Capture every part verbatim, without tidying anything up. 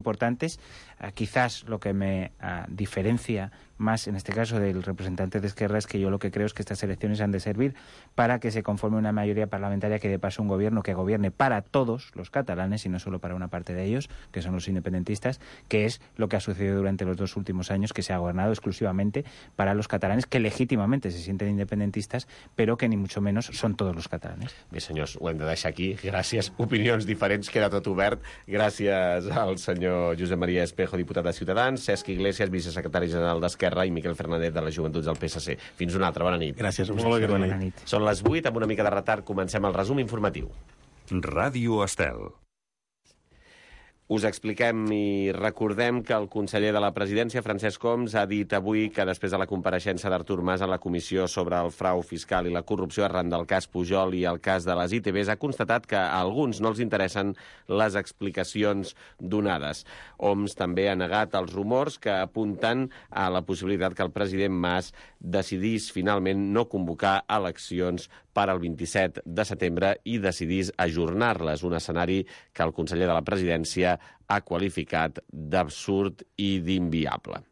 importantes. Uh, quizás lo que me uh, diferencia más en este caso del representante de Esquerra es que yo lo que creo es que estas elecciones han de servir para que se conforme una mayoría parlamentaria que dé paso a un gobierno que gobierne para todos los catalanes y no solo para una parte de ellos, que son los independentistas, que es lo que ha sucedido durante los dos últimos años, que se ha gobernado exclusivamente para los catalanes que legítimamente se sienten independentistas, però que ni mucho menos són tots els catalanes. Bé, senyors, ho hem de deixar aquí. Gràcies. Opinions diferents, queda tot obert. Gràcies al senyor Josep Maria Espejo, diputat de Ciutadans, Cesc Iglesias, vicesecretari general d'Esquerra, i Miquel Fernández de les Joventuts del P S C. Fins una altra. Bona nit. Gràcies. Molt bona nit. Bona nit. Són les vuit, amb una mica de retard comencem el resum informatiu. Ràdio Estel. Us expliquem i recordem que el conseller de la Presidència, Francesc Homs, ha dit avui que després de la compareixença d'Artur Mas a la comissió sobre el frau fiscal i la corrupció arran del cas Pujol i el cas de les I T Bs, ha constatat que a alguns no els interessen les explicacions donades. Homs també ha negat els rumors que apunten a la possibilitat que el president Mas decidís finalment no convocar eleccions per al vint-i-set de setembre i decidís ajornar-les, un escenari que el conseller de la Presidència ha qualificat d'absurd i d'inviable.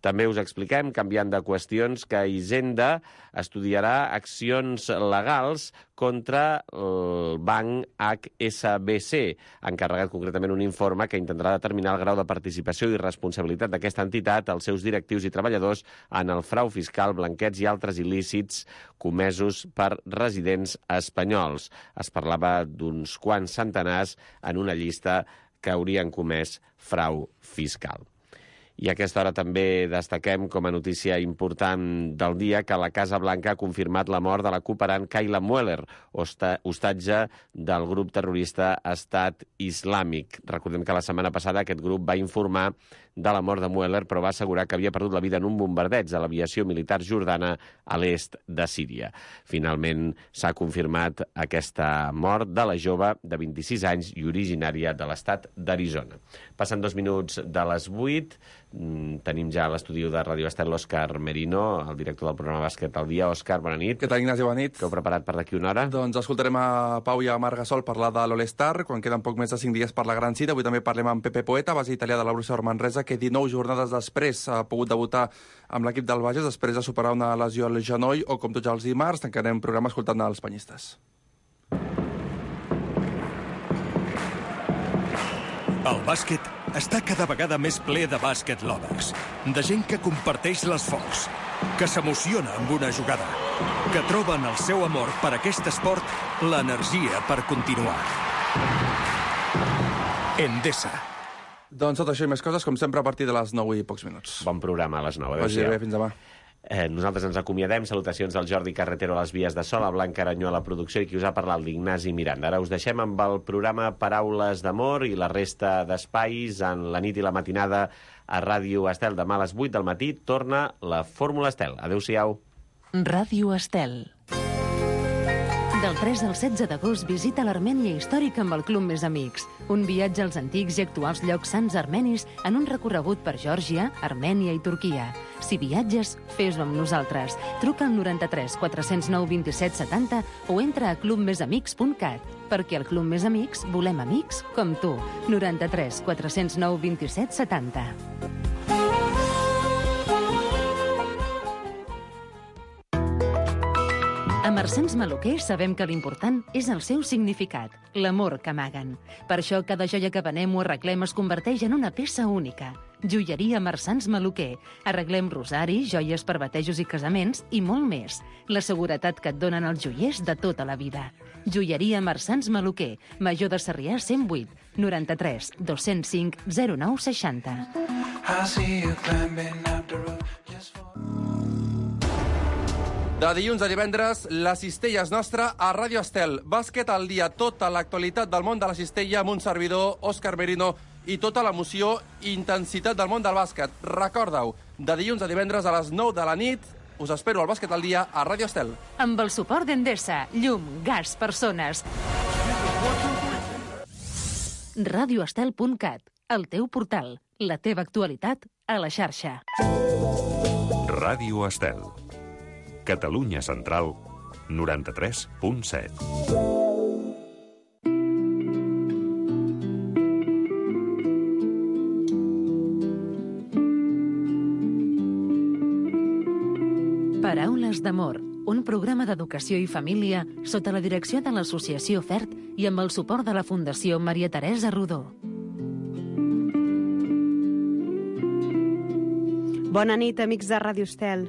També us expliquem, canviant de qüestions, que Hisenda estudiarà accions legals contra el banc H S B C, encarregat concretament un informe que intentarà determinar el grau de participació i responsabilitat d'aquesta entitat, els seus directius i treballadors, en el frau fiscal, blanqueig i altres il·lícits comesos per residents espanyols. Es parlava d'uns quants centenars en una llista que haurien comès frau fiscal. I a aquesta hora també destaquem com a notícia important del dia que la Casa Blanca ha confirmat la mort de la cooperant Kayla Mueller, hostatge del grup terrorista Estat Islàmic. Recordem que la setmana passada aquest grup va informar de la mort de Mueller, però va assegurar que havia perdut la vida en un bombardeig de l'aviació militar jordana a l'est de Síria. Finalment s'ha confirmat aquesta mort de la jove de vint-i-sis anys i originària de l'estat d'Arizona. Passen dos minuts de les vuit. Tenim ja a l'estudi de Ràdio Estel l'Òscar Merino, el director del programa Bàsquet al Dia. Òscar, bona nit. Què tal, Ignasi? Bona nit. Què heu preparat per d'aquí una hora? Doncs escoltarem a Pau i a Marc Gasol parlar de l'All-Star, quan queden poc més de cinc dies per la gran cita. Avui també parlem amb Pepe Poeta, base italià de la Borussia Manresa, que dinou jornades després ha pogut debutar amb l'equip del Bages després de superar una lesió al genoll, o com tots els dimarts, tancarem programa escoltant els penyistes. El bàsquet està cada vegada més ple de bàsquet lovers, de gent que comparteix l'esforç, que s'emociona amb una jugada, que troben el seu amor per aquest esport l'energia per continuar. Endesa. Doncs tot això i més coses, com sempre, a partir de les nou i pocs minuts. Bon programa a les nou. Vagi bé, fins demà. Eh, nosaltres ens acomiadem. Salutacions del Jordi Carretero a les vies de so, a Blanca Aranyó a la producció i qui us ha parlat, l'Ignasi Miranda. Ara us deixem amb el programa Paraules d'Amor i la resta d'espais en la nit i la matinada a Ràdio Estel. Demà a les vuit del matí torna la Fórmula Estel. Adéu-siau. Ràdio Estel. Del tres al setze d'agost visita l'Armènia històrica amb el Club Més Amics. Un viatge als antics i actuals llocs sants armenis en un recorregut per Geòrgia, Armènia i Turquia. Si viatges, fes-ho amb nosaltres. Truca al noranta-tres quatre-cents nou vint-i-set setanta o entra a club més amics punt cat. Perquè al Club Més Amics volem amics com tu. noranta-tres quatre-cents nou vint-i-set setanta. A Marsans Maluquer sabem que l'important és el seu significat, l'amor que amaguen. Per això cada joia que venem o arreglem es converteix en una peça única. Joieria Marsans Maluquer. Arreglem rosaris, joies per batejos i casaments i molt més. La seguretat que et donen els joiers de tota la vida. Joieria Marsans Maluquer. Major de Sarrià cent vuit, noranta-tres dos-cents cinc zero nou seixanta. De dilluns a divendres, la cistella és nostra a Ràdio Estel. Bàsquet al dia, tota l'actualitat del món de la cistella amb un servidor, Òscar Merino, i tota l'emoció i intensitat del món del bàsquet. Recorda-ho, de dilluns a divendres a les nou de la nit, us espero al Bàsquet al dia a Ràdio Estel. Amb el suport d'Endesa, llum, gas, persones. ràdio estel punt cat, el teu portal, la teva actualitat a la xarxa. Ràdio Estel. Catalunya Central, noranta-tres punt set. Paraules d'amor, un programa d'educació i família sota la direcció de l'Associació FERT i amb el suport de la Fundació Maria Teresa Rodó. Bona nit, amics de Ràdio Estel.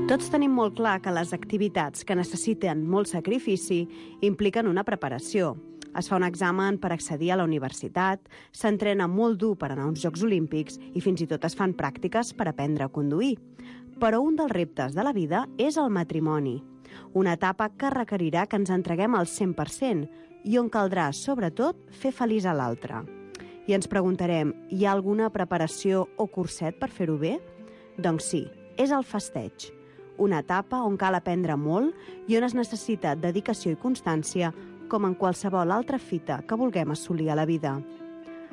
Tots tenim molt clar que les activitats que necessiten molt sacrifici impliquen una preparació. Es fa un examen per accedir a la universitat, s'entrena molt dur per anar a uns Jocs Olímpics i fins i tot es fan pràctiques per aprendre a conduir. Però un dels reptes de la vida és el matrimoni, una etapa que requerirà que ens entreguem al cent per cent i on caldrà, sobretot, fer feliç a l'altre. I ens preguntarem, hi ha alguna preparació o curset per fer-ho bé? Doncs sí, és el festeig, una etapa on cal aprendre molt i on es necessita dedicació i constància com en qualsevol altra fita que vulguem assolir a la vida.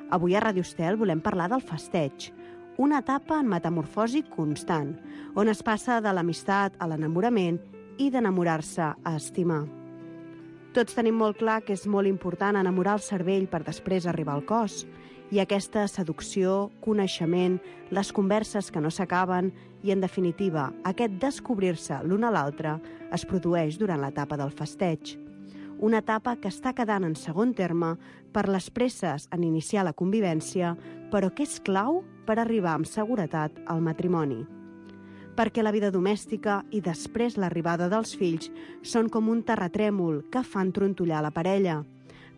Avui a Ràdio Estel volem parlar del festeig, una etapa en metamorfosi constant, on es passa de l'amistat a l'enamorament i d'enamorar-se a estimar. Tots tenim molt clar que és molt important enamorar el cervell per després arribar al cos, i aquesta seducció, coneixement, les converses que no s'acaben i, en definitiva, aquest descobrir-se l'un a l'altre es produeix durant l'etapa del festeig. Una etapa que està quedant en segon terme per les presses en iniciar la convivència, però que és clau per arribar amb seguretat al matrimoni. Perquè la vida domèstica i després l'arribada dels fills són com un terratrèmol que fan trontollar la parella.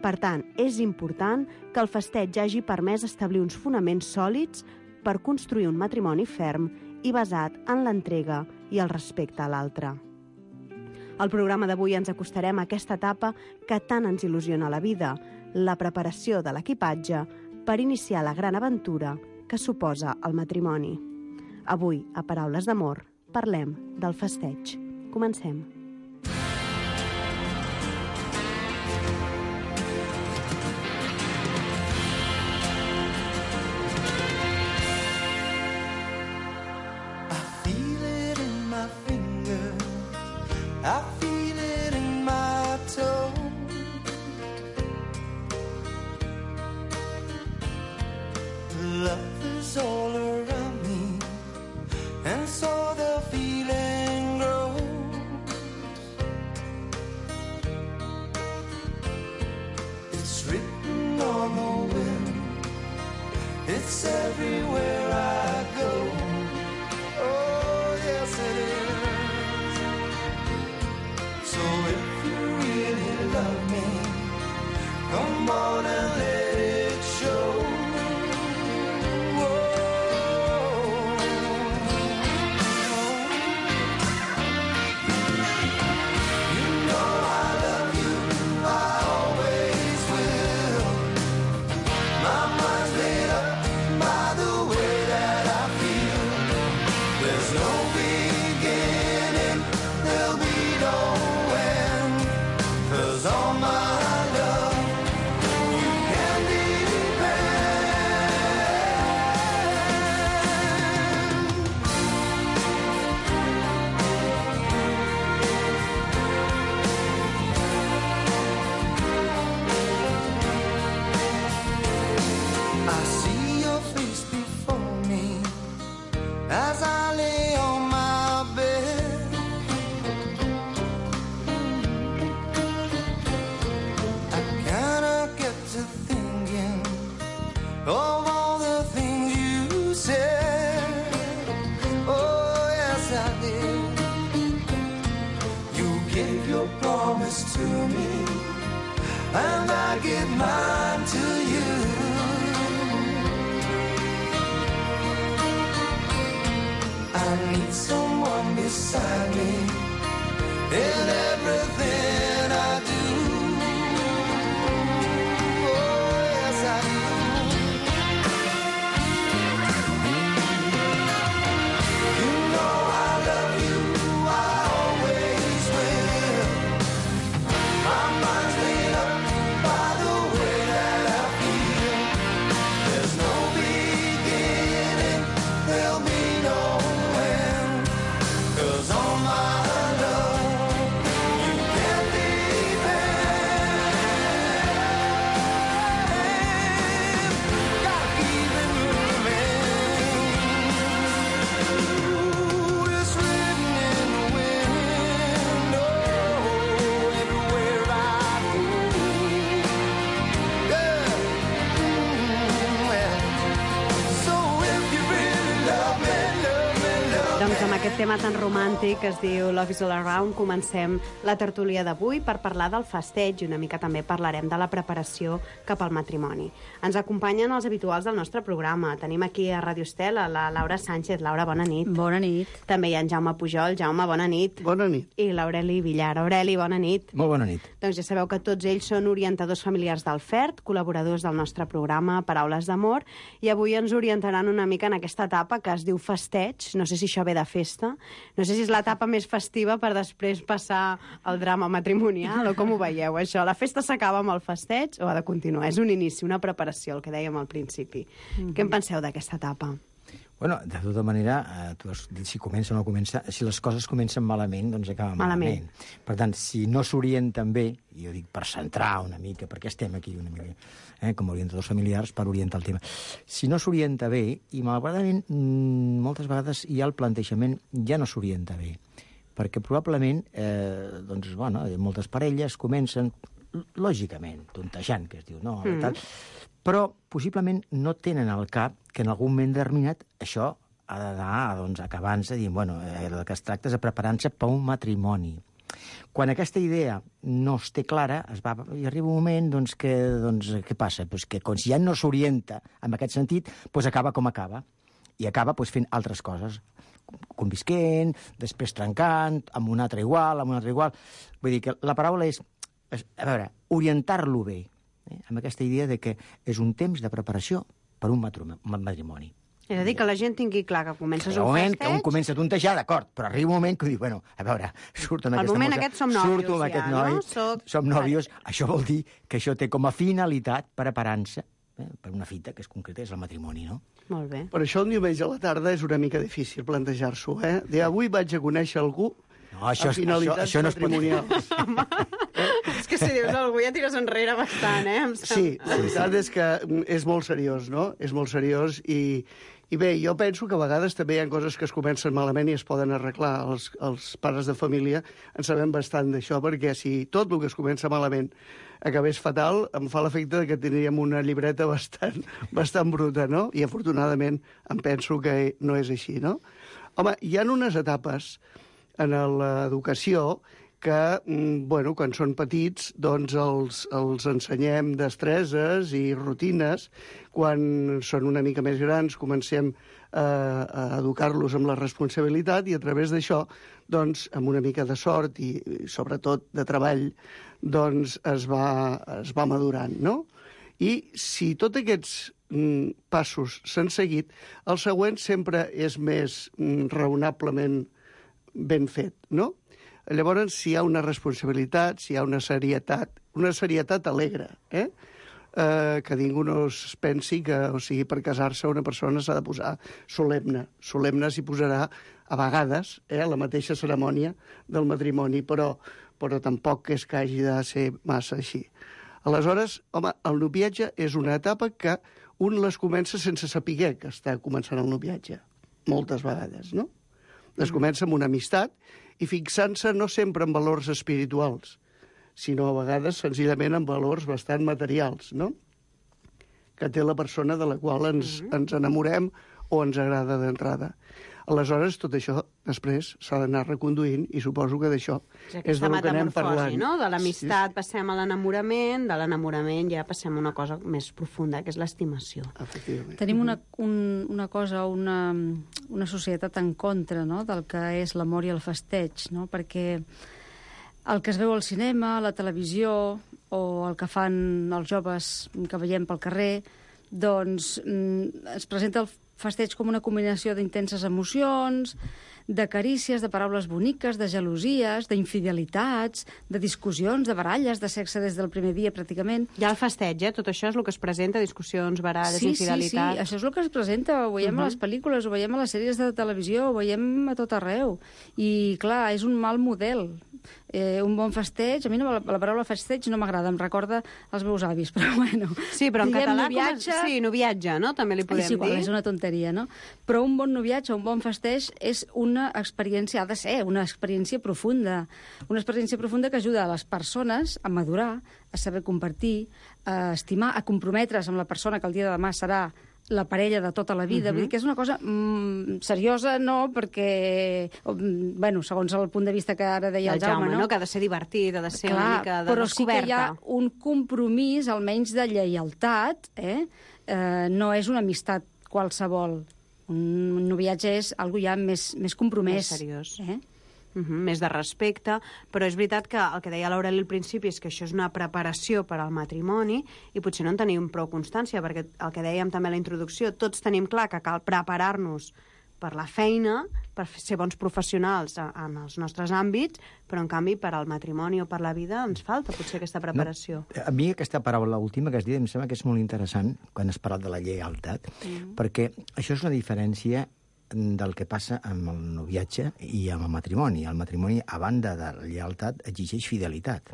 Per tant, és important que el festeig hagi permès establir uns fonaments sòlids per construir un matrimoni ferm i basat en l'entrega i el respecte a l'altre. Al programa d'avui ens acostarem a aquesta etapa que tant ens il·lusiona a la vida, la preparació de l'equipatge per iniciar la gran aventura que suposa el matrimoni. Avui, a Paraules d'amor, parlem del festeig. Comencem. I feel it in my toe. Love is all around me, and so the feeling grows. It's written on the wind, it's everywhere I go. Oh, yes it is. So if you really love me, come on and let it show. Whoa. You know I love you, I always will. My mind's made up by the way that I feel. There's no beginning, there'll be no all my love, you can depend. I see your face before me as I lay on my bed. Of all the things you said, oh yes I did. You gave your promise to me, and I give mine to you. I need someone beside me in everything I do. All my love aquest tema tan romàntic que es diu Love is all around, comencem la tertúlia d'avui per parlar del festeig i una mica també parlarem de la preparació cap al matrimoni. Ens acompanyen els habituals del nostre programa. Tenim aquí a Radio Estel a la Laura Sánchez. Laura, bona nit. Bona nit. També hi ha en Jaume Pujol. Jaume, bona nit. Bona nit. I l'Aureli Villar. Aureli, bona nit. Molt bona nit. Doncs ja sabeu que tots ells són orientadors familiars del F E R T, col·laboradors del nostre programa Paraules d'Amor, i avui ens orientaran una mica en aquesta etapa que es diu festeig. No sé si això ve de festa, no sé si és l'etapa més festiva per després passar al drama matrimonial, o com ho veieu, això? La festa s'acaba amb el festeig o ha de continuar? És un inici, una preparació, el que dèiem al principi. Mm-hmm. Què en penseu d'aquesta etapa? Bueno, de tota manera, eh, tu has dit si comença o no comença, si les coses comencen malament, doncs acaben malament. malament. Per tant, si no s'orienten bé, i jo dic per centrar una mica, perquè estem aquí una mica, eh, com a orientadors familiars, per orientar el tema. Si no s'orienta bé, i malauradament moltes vegades ja el plantejament ja no s'orienta bé, perquè probablement, eh, doncs, bueno, moltes parelles comencen, lògicament, tontejant, que es diu, no? Mm. Tal, però possiblement no tenen al cap que en algun moment determinat això ha d'anar doncs, acabant-se dient, bueno, eh, el que es tracta és de preparar-se per un matrimoni. Quan aquesta idea no es té clara, es va, i arriba un moment doncs, que, doncs, què passa? Pues que com si ja no s'orienta en aquest sentit, doncs acaba com acaba. I acaba doncs, fent altres coses, convisquent, després trencant, amb un altre igual, amb un altre igual. Vull dir que la paraula és, és a veure, orientar-lo bé, eh? amb aquesta idea de que és un temps de preparació per un matrimoni. És a dir, que la gent tingui clar que comences un moment festeig... que un comença a tontejar, d'acord, però arriba un moment que diu, bueno, a veure, surto amb Al aquesta moment mossa, aquest som nòvios, surto amb ja, aquest noi, no? Soc... som nòvios, això vol dir que això té com a finalitat preparant-se eh, per una fita que és concreta, és el matrimoni, no? Molt bé. Per això el diumenge a la tarda és una mica difícil plantejar-s'ho, eh? De avui vaig a conèixer algú no, això, amb finalitats això, això no matrimonials. És que si dius algú ja tires enrere bastant, eh? Sí, la veritat és que és molt seriós, no? És molt seriós i, i bé, jo penso que a vegades també hi ha coses que es comencen malament i es poden arreglar. Els, els pares de família en sabem bastant d'això, perquè si tot el que es comença malament acabés fatal, em fa l'efecte que tindríem una llibreta bastant, bastant bruta, no? I afortunadament em penso que no és així, no? Home, hi ha unes etapes en l'educació que, bueno, quan són petits, doncs els, els ensenyem destreses i rutines. Quan són una mica més grans, comencem a, a educar-los amb la responsabilitat i a través d'això, doncs, amb una mica de sort i, i sobretot de treball, doncs es va, es va madurant, no? I si tots aquests mm, passos s'han seguit, el següent sempre és més mm, raonablement ben fet, no? Llavors, si hi ha una responsabilitat, si hi ha una serietat, una serietat alegre, eh? Eh, que ningú no es pensi que, o sigui, per casar-se una persona s'ha de posar solemne. Solemne s'hi posarà a vegades, eh, a la mateixa cerimònia del matrimoni, però, però tampoc és que hagi de ser massa així. Aleshores, home, el noviatge és una etapa que un les comença sense saber que està començant el noviatge, moltes vegades, no? Es comença amb una amistat i fixant-se no sempre en valors espirituals, sinó a vegades senzillament en valors bastant materials, no? Que té la persona de la qual ens, mm-hmm. ens enamorem o ens agrada d'entrada. Aleshores, tot això després s'ha d'anar reconduint i suposo que d'això és del que anem parlant. No? De l'amistat sí. passem a l'enamorament, de l'enamorament ja passem a una cosa més profunda, que és l'estimació. Efectivament. Tenim una, un, una cosa, una, una societat en contra, no?, del que és l'amor i el festeig, no? Perquè el que es veu al cinema, a la televisió, o el que fan els joves que veiem pel carrer, doncs es presenta el festeig com una combinació d'intenses emocions, de carícies, de paraules boniques, de gelosies, d'infidelitats, de discussions, de baralles, de sexe des del primer dia, pràcticament. Hi ha el festeig, eh? Tot això és el que es presenta, discussions, baralles, sí, infidelitats... Sí, sí, això és el que es presenta, ho veiem uh -huh. a les pel·lícules, ho veiem a les sèries de televisió, ho veiem a tot arreu. I, clar, és un mal model. Eh, un bon festeig, a mi no, la, la paraula festeig no m'agrada, em recorda els meus avis, però bueno... Sí, però en diguem, català... noviatge... Com... Sí, noviatge, no? També li podem és igual, dir. És una tonteria, no? Però un bon noviatge, un bon festeig és una experiència, ha de ser una experiència profunda, una experiència profunda que ajuda a les persones a madurar, a saber compartir, a estimar, a comprometre's amb la persona que el dia de demà serà la parella de tota la vida. Uh-huh. Vull dir que és una cosa mm, seriosa, no, perquè, mm, bueno, segons el punt de vista que ara deia el, el Jaume, Jaume, no? Que ha de ser divertit, ha de ser Clar, una mica de però descoberta. sí que hi ha un compromís, almenys de lleialtat, eh? Eh, no és una amistat qualsevol. Un noviatge és algo ja més, més compromès. Més seriós. Eh? Uh -huh, més de respecte, però és veritat que el que deia l'Aureli al principi és que això és una preparació per al matrimoni i potser no en tenim prou constància, perquè el que dèiem també a la introducció, tots tenim clar que cal preparar-nos per la feina, per ser bons professionals en els nostres àmbits, però en canvi per al matrimoni o per la vida ens falta potser aquesta preparació. No, a mi aquesta paraula última que has dit em sembla que és molt interessant quan has parlat de la lleialtat, mm. perquè això és una diferència del que passa amb el noviatge i amb el matrimoni. El matrimoni, a banda de la lleialtat, exigeix fidelitat.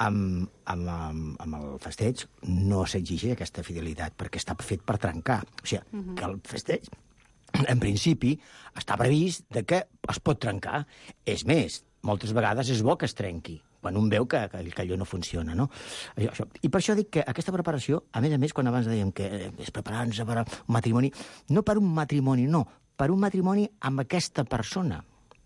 Amb, amb, amb, amb el festeig no s'exigeix aquesta fidelitat, perquè està fet per trencar. O sigui, uh-huh. que el festeig, en principi, està previst de que es pot trencar. És més, moltes vegades és bo que es trenqui, quan un veu que, que, que allò no funciona, no? Això, això. I per això dic que aquesta preparació, a més a més, quan abans dèiem que és preparar-nos per un matrimoni, no per un matrimoni, no, per un matrimoni amb aquesta persona.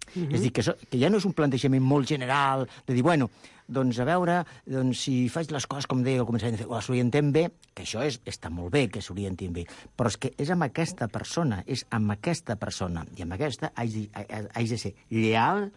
Uh-huh. És a dir, que, so, que ja no és un plantejament molt general, de dir, bueno, doncs a veure, doncs si faig les coses com deia al començament, de fer, o s'orientem bé, que això és, està molt bé que s'orientin bé, però és que és amb aquesta persona, és amb aquesta persona, i amb aquesta haig de, haig de ser lleal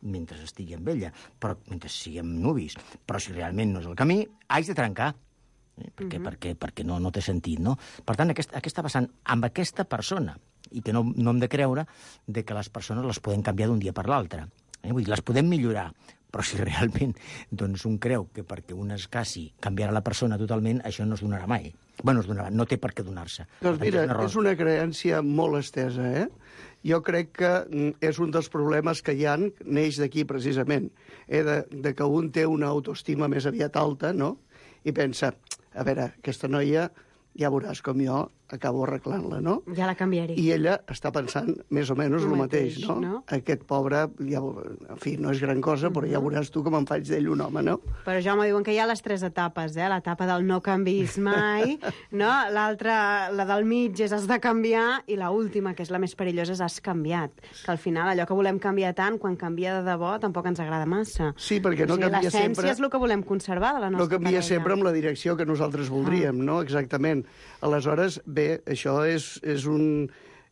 mentre estigui amb ella, però mentre siguem nuvis. Però si realment no és el camí, haig de trencar, eh? perquè, uh-huh. perquè, perquè no, no té sentit, no? Per tant, aquesta, aquesta vessant amb aquesta persona, i que no, no hem de creure de que les persones les podem canviar d'un dia per l'altre. Eh? Vull dir, les podem millorar, però si realment doncs, un creu que perquè un es casi canviarà la persona totalment, això no es donarà mai. Bueno, es donarà, no té per què donar-se. Doncs mira, és una, és una creència molt estesa, eh? Jo crec que és un dels problemes que hi ha, neix d'aquí precisament, eh? de, de que un té una autoestima més aviat alta, no? I pensa, a veure, aquesta noia, ja veuràs com jo acabo arreglant-la, no? Ja la canviaré. I ella està pensant més o menys el, el mateix, mateix no? no? Aquest pobre, ja, en fi, no és gran cosa, però ja veuràs tu com em faig d'ell un home, no? Però ja m'ho diuen que hi ha les tres etapes, eh? L'etapa del no canvis mai, no? L'altra, la del mig, és has de canviar, i la última, que és la més perillosa, és has canviat. Que al final allò que volem canviar tant, quan canvia de debò, tampoc ens agrada massa. Sí, perquè no o sigui, canvia sempre... L'essència és el que volem conservar de la nostra parella. No canvia parella. sempre amb la direcció que nosaltres voldríem, ah. no? Exactament. Aleshores, bé, això és, és, un,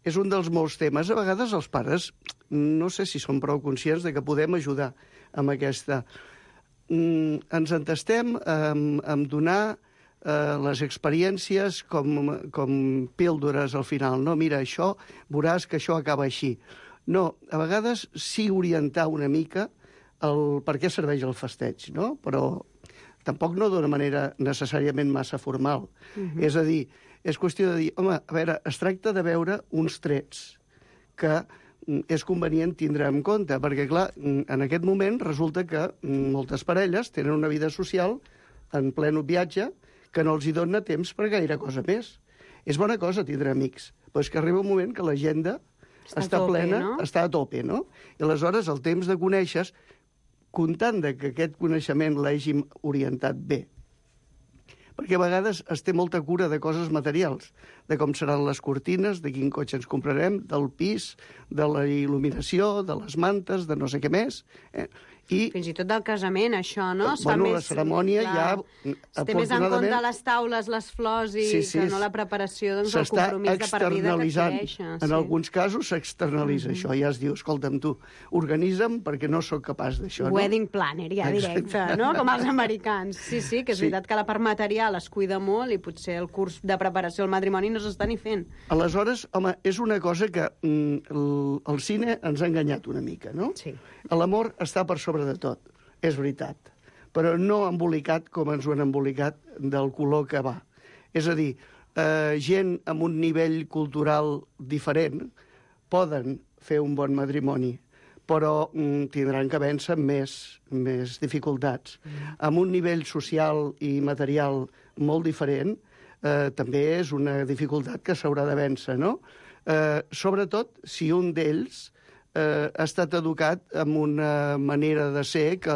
és un dels molts temes. A vegades els pares no sé si són prou conscients de que podem ajudar amb aquesta. Mm, ens entestem amb, amb donar eh, les experiències com, com píldores al final. No, mira, això, veuràs que això acaba així. No, a vegades sí orientar una mica el per què serveix el festeig, no? Però tampoc no d'una manera necessàriament massa formal. Uh-huh. És a dir, és qüestió de dir, home, a veure, es tracta de veure uns trets que és convenient tindre en compte, perquè, clar, en aquest moment resulta que moltes parelles tenen una vida social en ple viatge que no els hi dona temps per gaire cosa més. És bona cosa tindre amics, però és que arriba un moment que l'agenda està, està tope, plena, no? està a tope, no? I aleshores el temps de conèixer, comptant de que aquest coneixement l'hàgim orientat bé, perquè a vegades es té molta cura de coses materials, de com seran les cortines, de quin cotxe ens comprarem, del pis, de la il·luminació, de les mantes, de no sé què més. Eh? I, fins i tot del casament, això, no? Es bueno, fa la més, cerimònia clar, ja... Es té més en compte les taules, les flors, i sí, sí, que no la preparació, doncs el compromís de per vida que adquireixes. En sí. alguns casos s'externalitza mm-hmm. això. Ja es diu, escolta'm tu, organitza'm perquè no sóc capaç d'això. No? Wedding planner, ja directe, no? Com els americans. Sí, sí, que és sí. veritat que la part material es cuida molt i potser el curs de preparació al matrimoni no s'està ni fent. Aleshores, home, és una cosa que mm, el, el cine ens ha enganyat una mica, no? Sí. L'amor està per sobre de tot. És veritat, però no embolicat com ens ho han embolicat del color que va. És a dir, eh, gent amb un nivell cultural diferent poden fer un bon matrimoni, però mm, tindran que vèncer més, més dificultats. Mm. Amb un nivell social i material molt diferent, eh, també és una dificultat que s'haurà de vèncer, no? Eh, sobretot si un d'ells Eh, ha estat educat amb una manera de ser que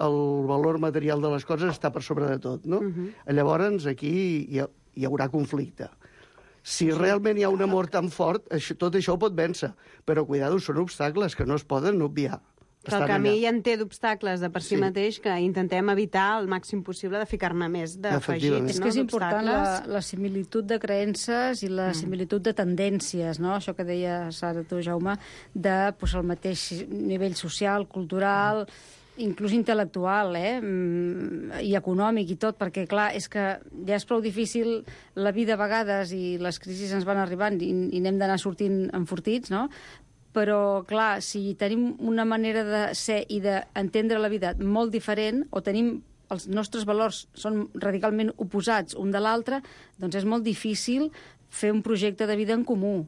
el valor material de les coses està per sobre de tot, no? Uh-huh. Llavors, aquí hi, ha, hi haurà conflicte. Si realment hi ha un amor tan fort, això, tot això ho pot vèncer. Però, cuidado, són obstacles que no es poden obviar. Que el camí ja en té d'obstacles de per si sí. mateix que intentem evitar el màxim possible de ficar-ne més d'afegits. És que és important la, la similitud de creences i la mm. similitud de tendències, no? Això que deies ara tu, Jaume, de pues, el mateix nivell social, cultural... Mm. inclús intel·lectual, eh? I econòmic i tot, perquè, clar, és que ja és prou difícil la vida a vegades i les crisis ens van arribant i, i n'hem d'anar sortint enfortits, no? Però, clar, si tenim una manera de ser i d'entendre la vida molt diferent, o tenim els nostres valors són radicalment oposats un de l'altre, doncs és molt difícil fer un projecte de vida en comú.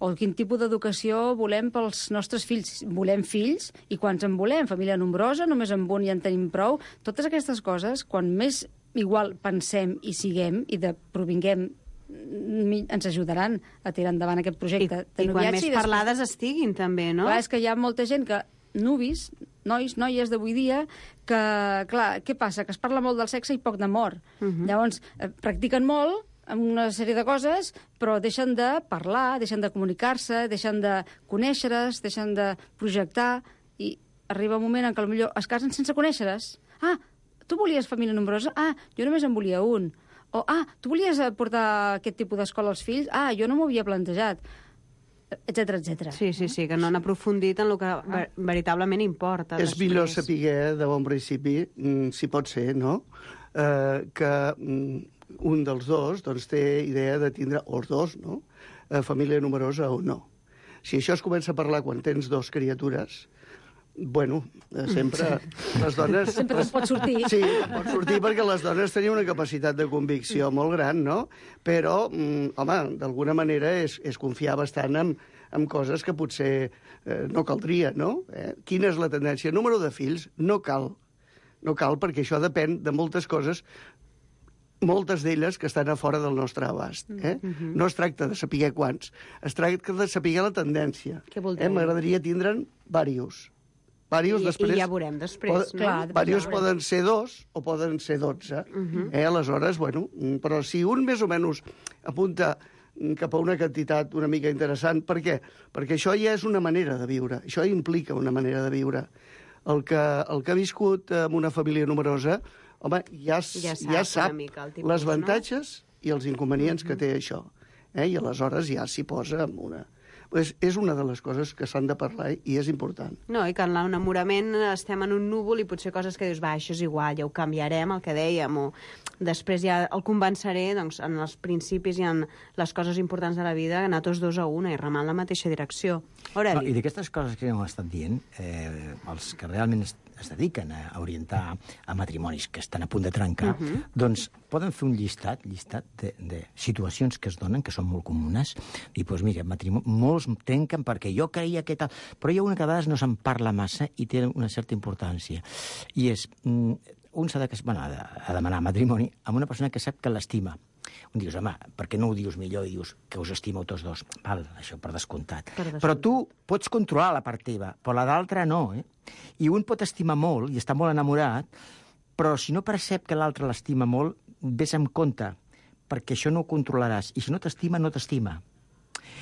O quin tipus d'educació volem pels nostres fills. Volem fills, i quants en volem? Família nombrosa, només amb un ja en tenim prou. Totes aquestes coses, quan més igual pensem i siguem, i de provinguem, ens ajudaran a tirar endavant aquest projecte. I, i quan més parlades estiguin, també, no? Clar, és que hi ha molta gent que, nuvis, nois, noies d'avui dia, que, clar, què passa? Que es parla molt del sexe i poc d'amor. Uh-huh. Llavors, eh, practiquen molt, amb una sèrie de coses, però deixen de parlar, deixen de comunicar-se, deixen de conèixer-es, deixen de projectar, i arriba un moment en què potser es casen sense conèixer-es. Ah, tu volies família nombrosa? Ah, jo només en volia un. O, ah, tu volies portar aquest tipus d'escola als fills? Ah, jo no m'ho havia plantejat. Etcètera, etcètera. Sí, sí, sí, que no han aprofundit en el que ver veritablement importa. És millor saber de bon principi, si pot ser, no?, eh, que un dels dos doncs, té idea de tindre, o els dos, no?, eh, família numerosa o no. Si això es comença a parlar quan tens dos criatures, bueno, eh, sempre sí. les dones... Sempre les... pot sortir. Sí, pot sortir perquè les dones tenien una capacitat de convicció molt gran, no? Però, mm, home, d'alguna manera és, és confiar bastant en, en coses que potser eh, no caldria, no? Eh? Quina és la tendència? Número de fills no cal. No cal, perquè això depèn de moltes coses, moltes d'elles que estan a fora del nostre abast. Eh? Mm-hmm. No es tracta de saber quants, es tracta de saber la tendència. Què vol dir? Eh? M'agradaria tindre'n varios. Varios I, després, I ja veurem després. Pod, no? Clar, varios ja poden ser dos o poden ser dotze. Uh-huh. eh? Aleshores, bueno, però si un més o menys apunta cap a una quantitat una mica interessant, per què? Perquè això ja és una manera de viure, això implica una manera de viure. El que, el que ha viscut amb una família numerosa, home, ja, ja sap, ja sap tipus, les avantatges, no?, i els inconvenients uh-huh. que té això. Eh? I aleshores ja s'hi posa amb una... Pues és una de les coses que s'han de parlar i és important. No, i que en l'enamorament estem en un núvol i potser coses que dius, va, això és igual, ja ho canviarem, el que dèiem, o després ja el convenceré, doncs, en els principis i en les coses importants de la vida, anar tots dos a una i remar en la mateixa direcció. Aureli. No, I d'aquestes coses que hem estat dient, eh, els que realment es, es dediquen a orientar a matrimonis que estan a punt de trencar, uh-huh. doncs poden fer un llistat, llistat de, de situacions que es donen, que són molt comunes, i doncs mira, matrimoni, molts trenquen perquè jo creia que tal... Però hi ha una que a vegades no se'n parla massa i té una certa importància. I és, un s'ha de, bueno, de, a demanar matrimoni amb una persona que sap que l'estima. Un dius, home, per què no ho dius millor i dius que us estimeu tots dos? Val, això per descomptat. Per descomptat. Però tu pots controlar la part teva, però la d'altra no, eh? I un pot estimar molt i està molt enamorat, però si no percep que l'altre l'estima molt, vés amb compte, perquè això no ho controlaràs. I si no t'estima, no t'estima.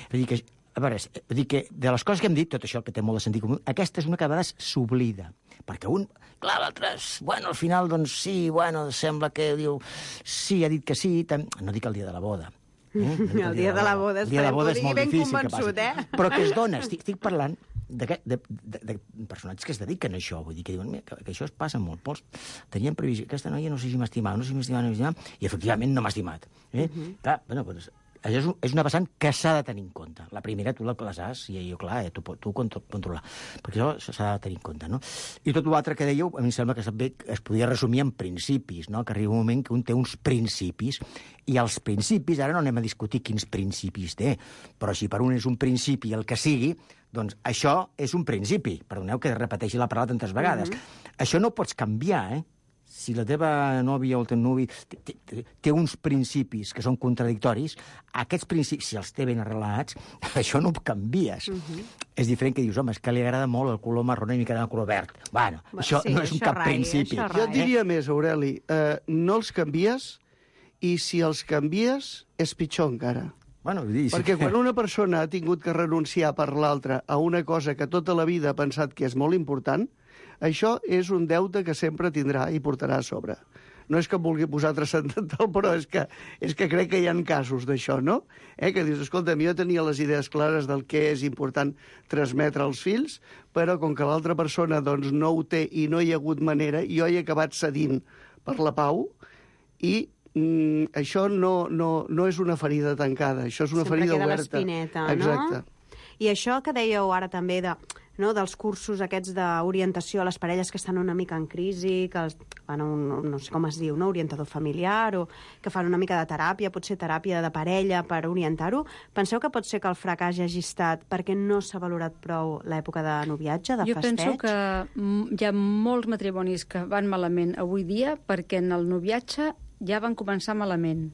És a dir, que, a veure, és a dir que de les coses que hem dit, tot això que té molt de sentit comú, aquesta és una que a vegades s'oblida. Perquè un, clar, l'altre, bueno, al final, doncs sí, bueno, sembla que diu, sí, ha dit que sí, tam... no dic el dia de la boda. Eh? No el, el dia de la boda, el dia de la boda és molt ben difícil convençut, que eh? Però que es dona, estic, estic parlant de, de, de, de personatges que es dediquen a això, vull dir, que diuen que, que això es passa molt. Pols, tenien previsió, aquesta noia no sé si m'estimava, no sé si m'estimava, no sé si m'estimava, i efectivament no m'ha estimat. Eh? Uh-huh. Clar, bueno, doncs, això és, un, és una vessant que s'ha de tenir en compte. La primera tu les has, i jo, clar, eh, tu, tu controlar. Perquè això s'ha de tenir en compte, no? I tot l'altre que dèieu, a mi em sembla que també es podia resumir en principis, no? Que arriba un moment que un té uns principis, i els principis, ara no anem a discutir quins principis té, però si per un és un principi el que sigui, doncs això és un principi. Perdoneu que repeteixi la paraula tantes vegades. Mm-hmm. Això no ho pots canviar, eh? Si la teva nòvia o el teu nuvi té, té, té uns principis que són contradictoris, aquests principis, si els té ben arrelats, això no ho canvies. Uh-huh. És diferent que dius, home, és que li agrada molt el color marró i m'agrada el color verd. Bueno, Va, això sí, no és un cap rai, principi. Jo et diria més, Aureli, eh, no els canvies, i si els canvies, és pitjor encara. Bueno, vull dir, Perquè quan una persona ha tingut que renunciar per l'altra a una cosa que tota la vida ha pensat que és molt important, això és un deute que sempre tindrà i portarà a sobre. No és que em vulgui posar transcendental, però és que, és que crec que hi ha casos d'això, no? Eh? Que dius, escolta, jo tenia les idees clares del que és important transmetre als fills, però com que l'altra persona doncs, no ho té i no hi ha hagut manera, jo he acabat cedint per la pau i Mm, això no, no, no és una ferida tancada, això és una Sempre ferida queda oberta. l'espineta, Exacte. no? I això que dèieu ara també de, no, dels cursos aquests d'orientació a les parelles que estan una mica en crisi, que els, fan un, no sé com es diu, no? Orientador familiar, o que fan una mica de teràpia, potser teràpia de parella per orientar-ho. Penseu que pot ser que el fracàs hagi estat perquè no s'ha valorat prou l'època de noviatge, de jo festeig? penso que mm, hi ha molts matrimonis que van malament avui dia perquè en el noviatge ja van començar malament.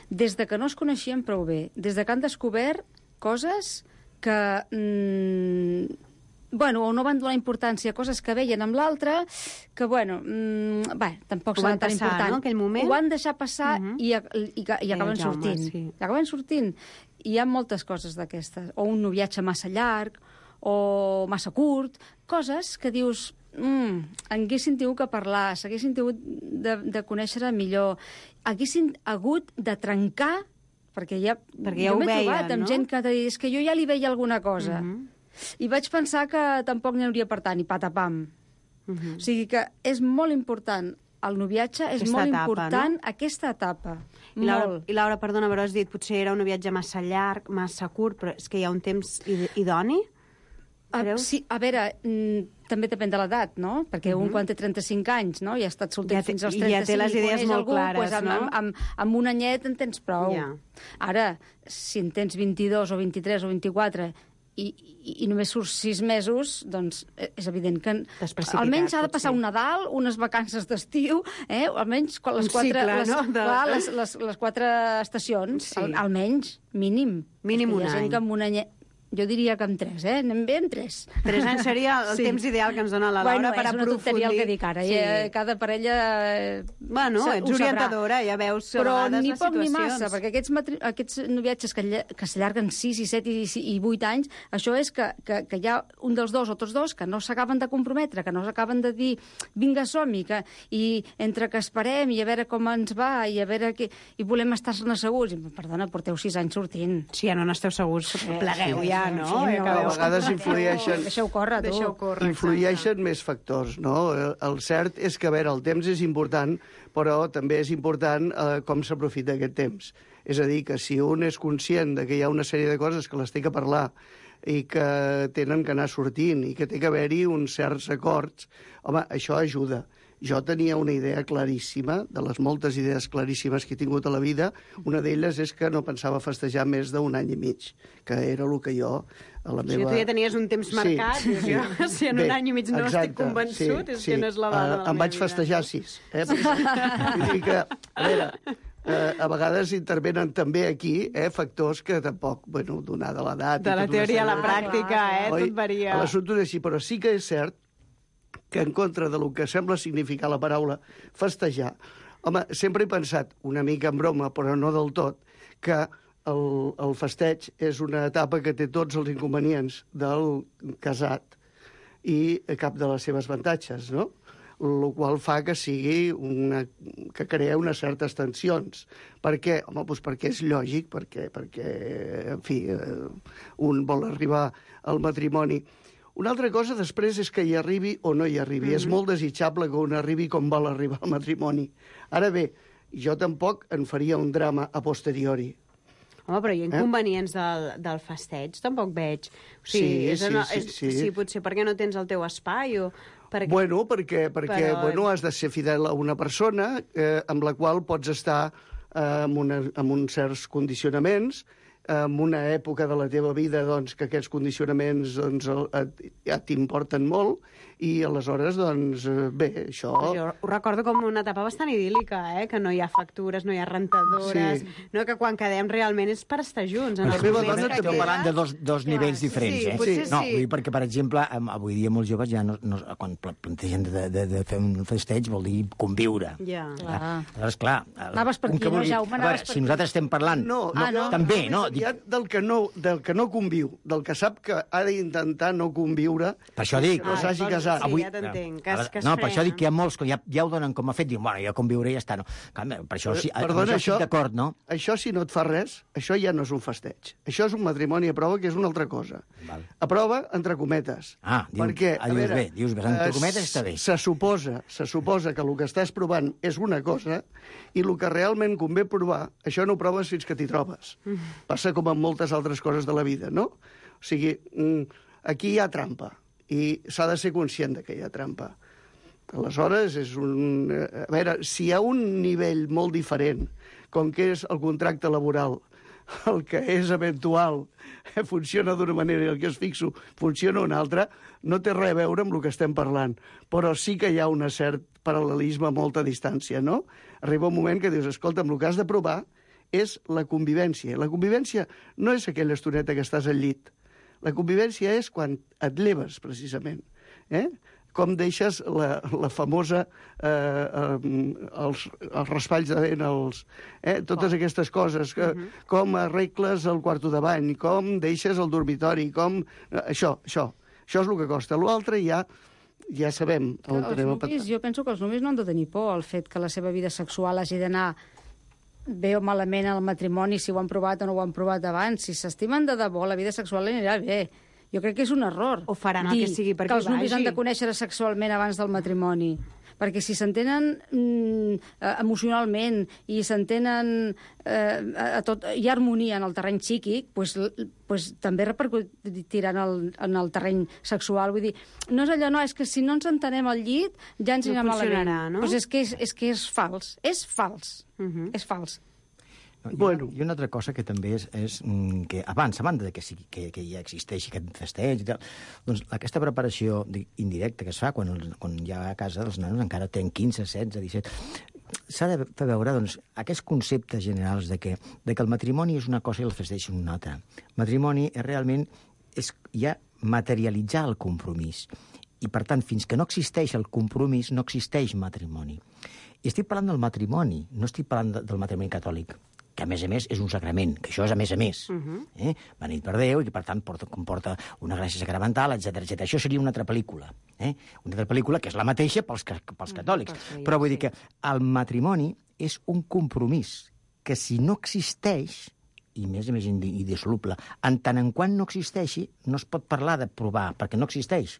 Des de que no es coneixien prou bé, des de que han descobert coses que... Mm, bueno, o no van donar importància a coses que veien amb l'altre, que, bueno, mmm, bé, tampoc serà tan passar, important. No, aquell moment? Ho van deixar passar uh -huh. i, i, i, i acaben eh, Jaume, sortint. Sí. I acaben sortint. I hi ha moltes coses d'aquestes. O un noviatge massa llarg, o massa curt, coses que dius... Mm, haguessin tingut que parlar, s'haguessin tingut de, de conèixer millor, haguessin hagut de trencar, perquè ja, perquè ja jo ho m'he veien, trobat amb no? gent que deia, és que jo ja li veia alguna cosa. Uh -huh. I vaig pensar que tampoc n'hi hauria per tant, i patapam. Uh -huh. O sigui que és molt important el noviatge, és Aquesta molt etapa, important no? aquesta etapa. I Laura, molt. I Laura, perdona, però has dit potser era un viatge massa llarg, massa curt, però és que hi ha un temps id idoni? A, sí, a veure, mm, també depèn de l'edat, no? Perquè uh -huh. un quan té trenta-cinc anys, no?, i ha estat solter ja té, fins als ja trenta-cinc, té les idees coneix molt algú, clares, pues amb, no? amb, amb, amb un anyet en tens prou. Ja. Ara, si en tens vint-i-dos o vint-i-tres o vint-i-quatre i, i, i només surts sis mesos, doncs és evident que almenys ha de passar un Nadal, unes vacances d'estiu, eh? Almenys les un quatre, cicle, les, no? De... clar, les, les, les quatre estacions, Sí. al, almenys, mínim. Mínim Perquè un hi ha gent any. que amb un anyet... Jo diria que amb tres, eh? Anem bé amb tres. Tres anys seria el Sí. temps ideal que ens dona la Laura Bueno, per és una aprofundir. tonteria el que dic ara. Sí. Sí. Cada parella... eh, Bueno, sa- ets ho sabrà. orientadora, ja veus a Però vegades ni les poc ni situacions. massa, perquè aquests, matri... aquests noviatges que, lla- que s'allarguen sis i set i, i vuit anys, això és que, que, que hi ha un dels dos o tots dos que no s'acaben de comprometre, que no s'acaben de dir vinga, som-hi, que... i entre que esperem i a veure com ens va i a veure que... i volem estar-ne segurs. I, perdona, porteu sis anys sortint. Si ja no n'esteu segurs, plegueu sí, ja, sí, no? sí, I no. acabeu. A vegades influeixen... Deixeu córrer, tu. Deixeu córrer, Influeixen més factors, no? El, el cert és que, a veure, el temps és important, però també és important eh, com s'aprofita aquest temps. És a dir, que si un és conscient de que hi ha una sèrie de coses que les té que parlar i que tenen que anar sortint i que té que haver-hi uns certs acords, home, això ajuda. Jo tenia una idea claríssima, de les moltes idees claríssimes que he tingut a la vida. Una d'elles és que no pensava festejar més d'un any i mig, que era el que jo, a la Si meva... tu ja tenies un temps marcat, Sí, dius, sí. jo, si en Bé, un any i mig no exacte, estic convençut, sí, és sí. que no és la dona Uh, de la em meva vaig vida. festejar sis. Eh? Vull dir que, a veure, uh, a vegades intervenen també aquí eh, factors que tampoc, bueno, donada l'edat... De i la tota una teoria a la sèrie de- pràctica, eh? Oi? Tot varia. L'assumpte és així, però sí que és cert que en contra del que sembla significar la paraula festejar, home, sempre he pensat, una mica en broma, però no del tot, que el, el festeig és una etapa que té tots els inconvenients del casat i cap de les seves avantatges, no? El qual fa que sigui una, que crea unes certes tensions. Per què? Home, doncs perquè és lògic, perquè, perquè en fi, eh, un vol arribar al matrimoni. Una altra cosa després és que hi arribi o no hi arribi. Mm-hmm. És molt desitjable que un arribi com vol arribar al matrimoni. Ara bé, jo tampoc en faria un drama a posteriori. Home, però hi ha inconvenients eh? del, del festeig, tampoc veig. O sigui, Sí, és sí, una, sí, és, sí. sí, potser perquè no tens el teu espai o... Perquè... Bueno, perquè, perquè Però- bueno, has de ser fidel a una persona eh, amb la qual pots estar eh, amb, una, amb uns certs condicionaments, en una època de la teva vida doncs, que aquests condicionaments doncs, el- et- ja t'importen molt i aleshores, doncs, eh, bé, això... Jo ho recordo com una etapa bastant idíl·lica, eh? Que no hi ha factures, no hi ha rentadores, Sí. no? Que quan quedem realment és per estar junts. En Però els la meva moments dona que estem quedes- parlant de dos, dos nivells diferents, sí, eh? potser No, sí. vull dir, perquè, per exemple, em- avui dia molts joves ja no, no, quan pla- plantegen de, de, de fer un festeig vol dir conviure. Ja. Clar. Aleshores, clar... el- Anaves per un aquí, que no, vulgui- Jaume? A Anaves veure, per si nosaltres estem parlant... No, Ah, no? També, no? Dic... del que no, del que no conviu, del que sap que ha d'intentar no conviure, Per això dic... que no s'hagi Ah, casat. sí, ja t'entenc, que es- que es no, per això frena. dic que hi ha molts que ja, ja ho donen com a fet, diuen, bueno, jo conviuré i ja està. No. Clar, per això, sí, amb Perdona, això estic d'acord, no? Això, si no et fa res, això ja no és un festeig. Això és un matrimoni a prova, que és una altra cosa. Val. A prova, entre cometes. Ah, dius- Perquè, ah, a dius veure, bé, dius bé, entre eh, cometes està bé. Se suposa, se suposa que el que estàs provant és una cosa i el que realment convé provar, això no ho proves fins que t'hi trobes. Mm. Passa com en moltes altres coses de la vida, no? O sigui, mm, aquí hi ha trampa i s'ha de ser conscient de que hi ha trampa. Aleshores, és un... A veure, si hi ha un nivell molt diferent, com que és el contracte laboral, el que és eventual funciona d'una manera i el que és fixo funciona una altra, no té res a veure amb el que estem parlant. Però sí que hi ha un cert paral·lelisme a molta distància, no? Arriba un moment que dius, escolta, el que has de provar és la convivència. La convivència no és aquella estoneta que estàs al llit. La convivència és quan et lleves, precisament. Eh? Com deixes la, la famosa... Eh, eh, els, els raspalls de vent, els, eh, totes oh. aquestes coses, que, uh -huh. com arregles el quarto de bany, com deixes el dormitori, com... Eh, això, això. Això és el que costa. L'altre ja, ja sabem on Els anem a nuvis, patar. jo penso que els nuvis no han de tenir por al fet que la seva vida sexual hagi d'anar bé o malament al matrimoni, si ho han provat o no ho han provat abans. Si s'estimen de debò, la vida sexual anirà bé. Jo crec que és un error. O faran el dir que sigui perquè que els nuvis vagi. han de conèixer sexualment abans del matrimoni. Perquè si s'entenen mm, emocionalment i s'entenen eh, a tot, hi ha harmonia en el terreny psíquic, pues, pues, també repercutirà en el, en el terreny sexual. Vull dir, no és allò, no, és que si no ens entenem al llit ja ens No anirà funcionarà, malament. no? Pues és, que és, és que és fals. És fals. Uh -huh. És fals. No, i, Bueno. una, I una altra cosa que també és, és mm, que abans, a banda de que, sigui, que, que ja existeixi aquest festeig i tal, doncs aquesta preparació di- indirecta que es fa quan, els, quan ja a casa els nanos encara tenen quinze, setze, disset, s'ha de fer veure doncs, aquests conceptes generals de que, de que el matrimoni és una cosa i el festeig és una altra. Matrimoni és realment és ja materialitzar el compromís. I, per tant, fins que no existeix el compromís, no existeix matrimoni. I estic parlant del matrimoni, no estic parlant de, del matrimoni catòlic, que a més a més és un sacrament, que això és a més a més. Uh -huh. eh? Beneit per Déu i que per tant porta, comporta una gràcia sacramental, etcètera, etcètera. Això seria una altra pel·lícula. Eh? Una altra pel·lícula que és la mateixa pels, pels catòlics. Uh -huh. Però vull dir que el matrimoni és un compromís que si no existeix, i més a més indissoluble, en tant en quant no existeixi, no es pot parlar de provar, perquè no existeix.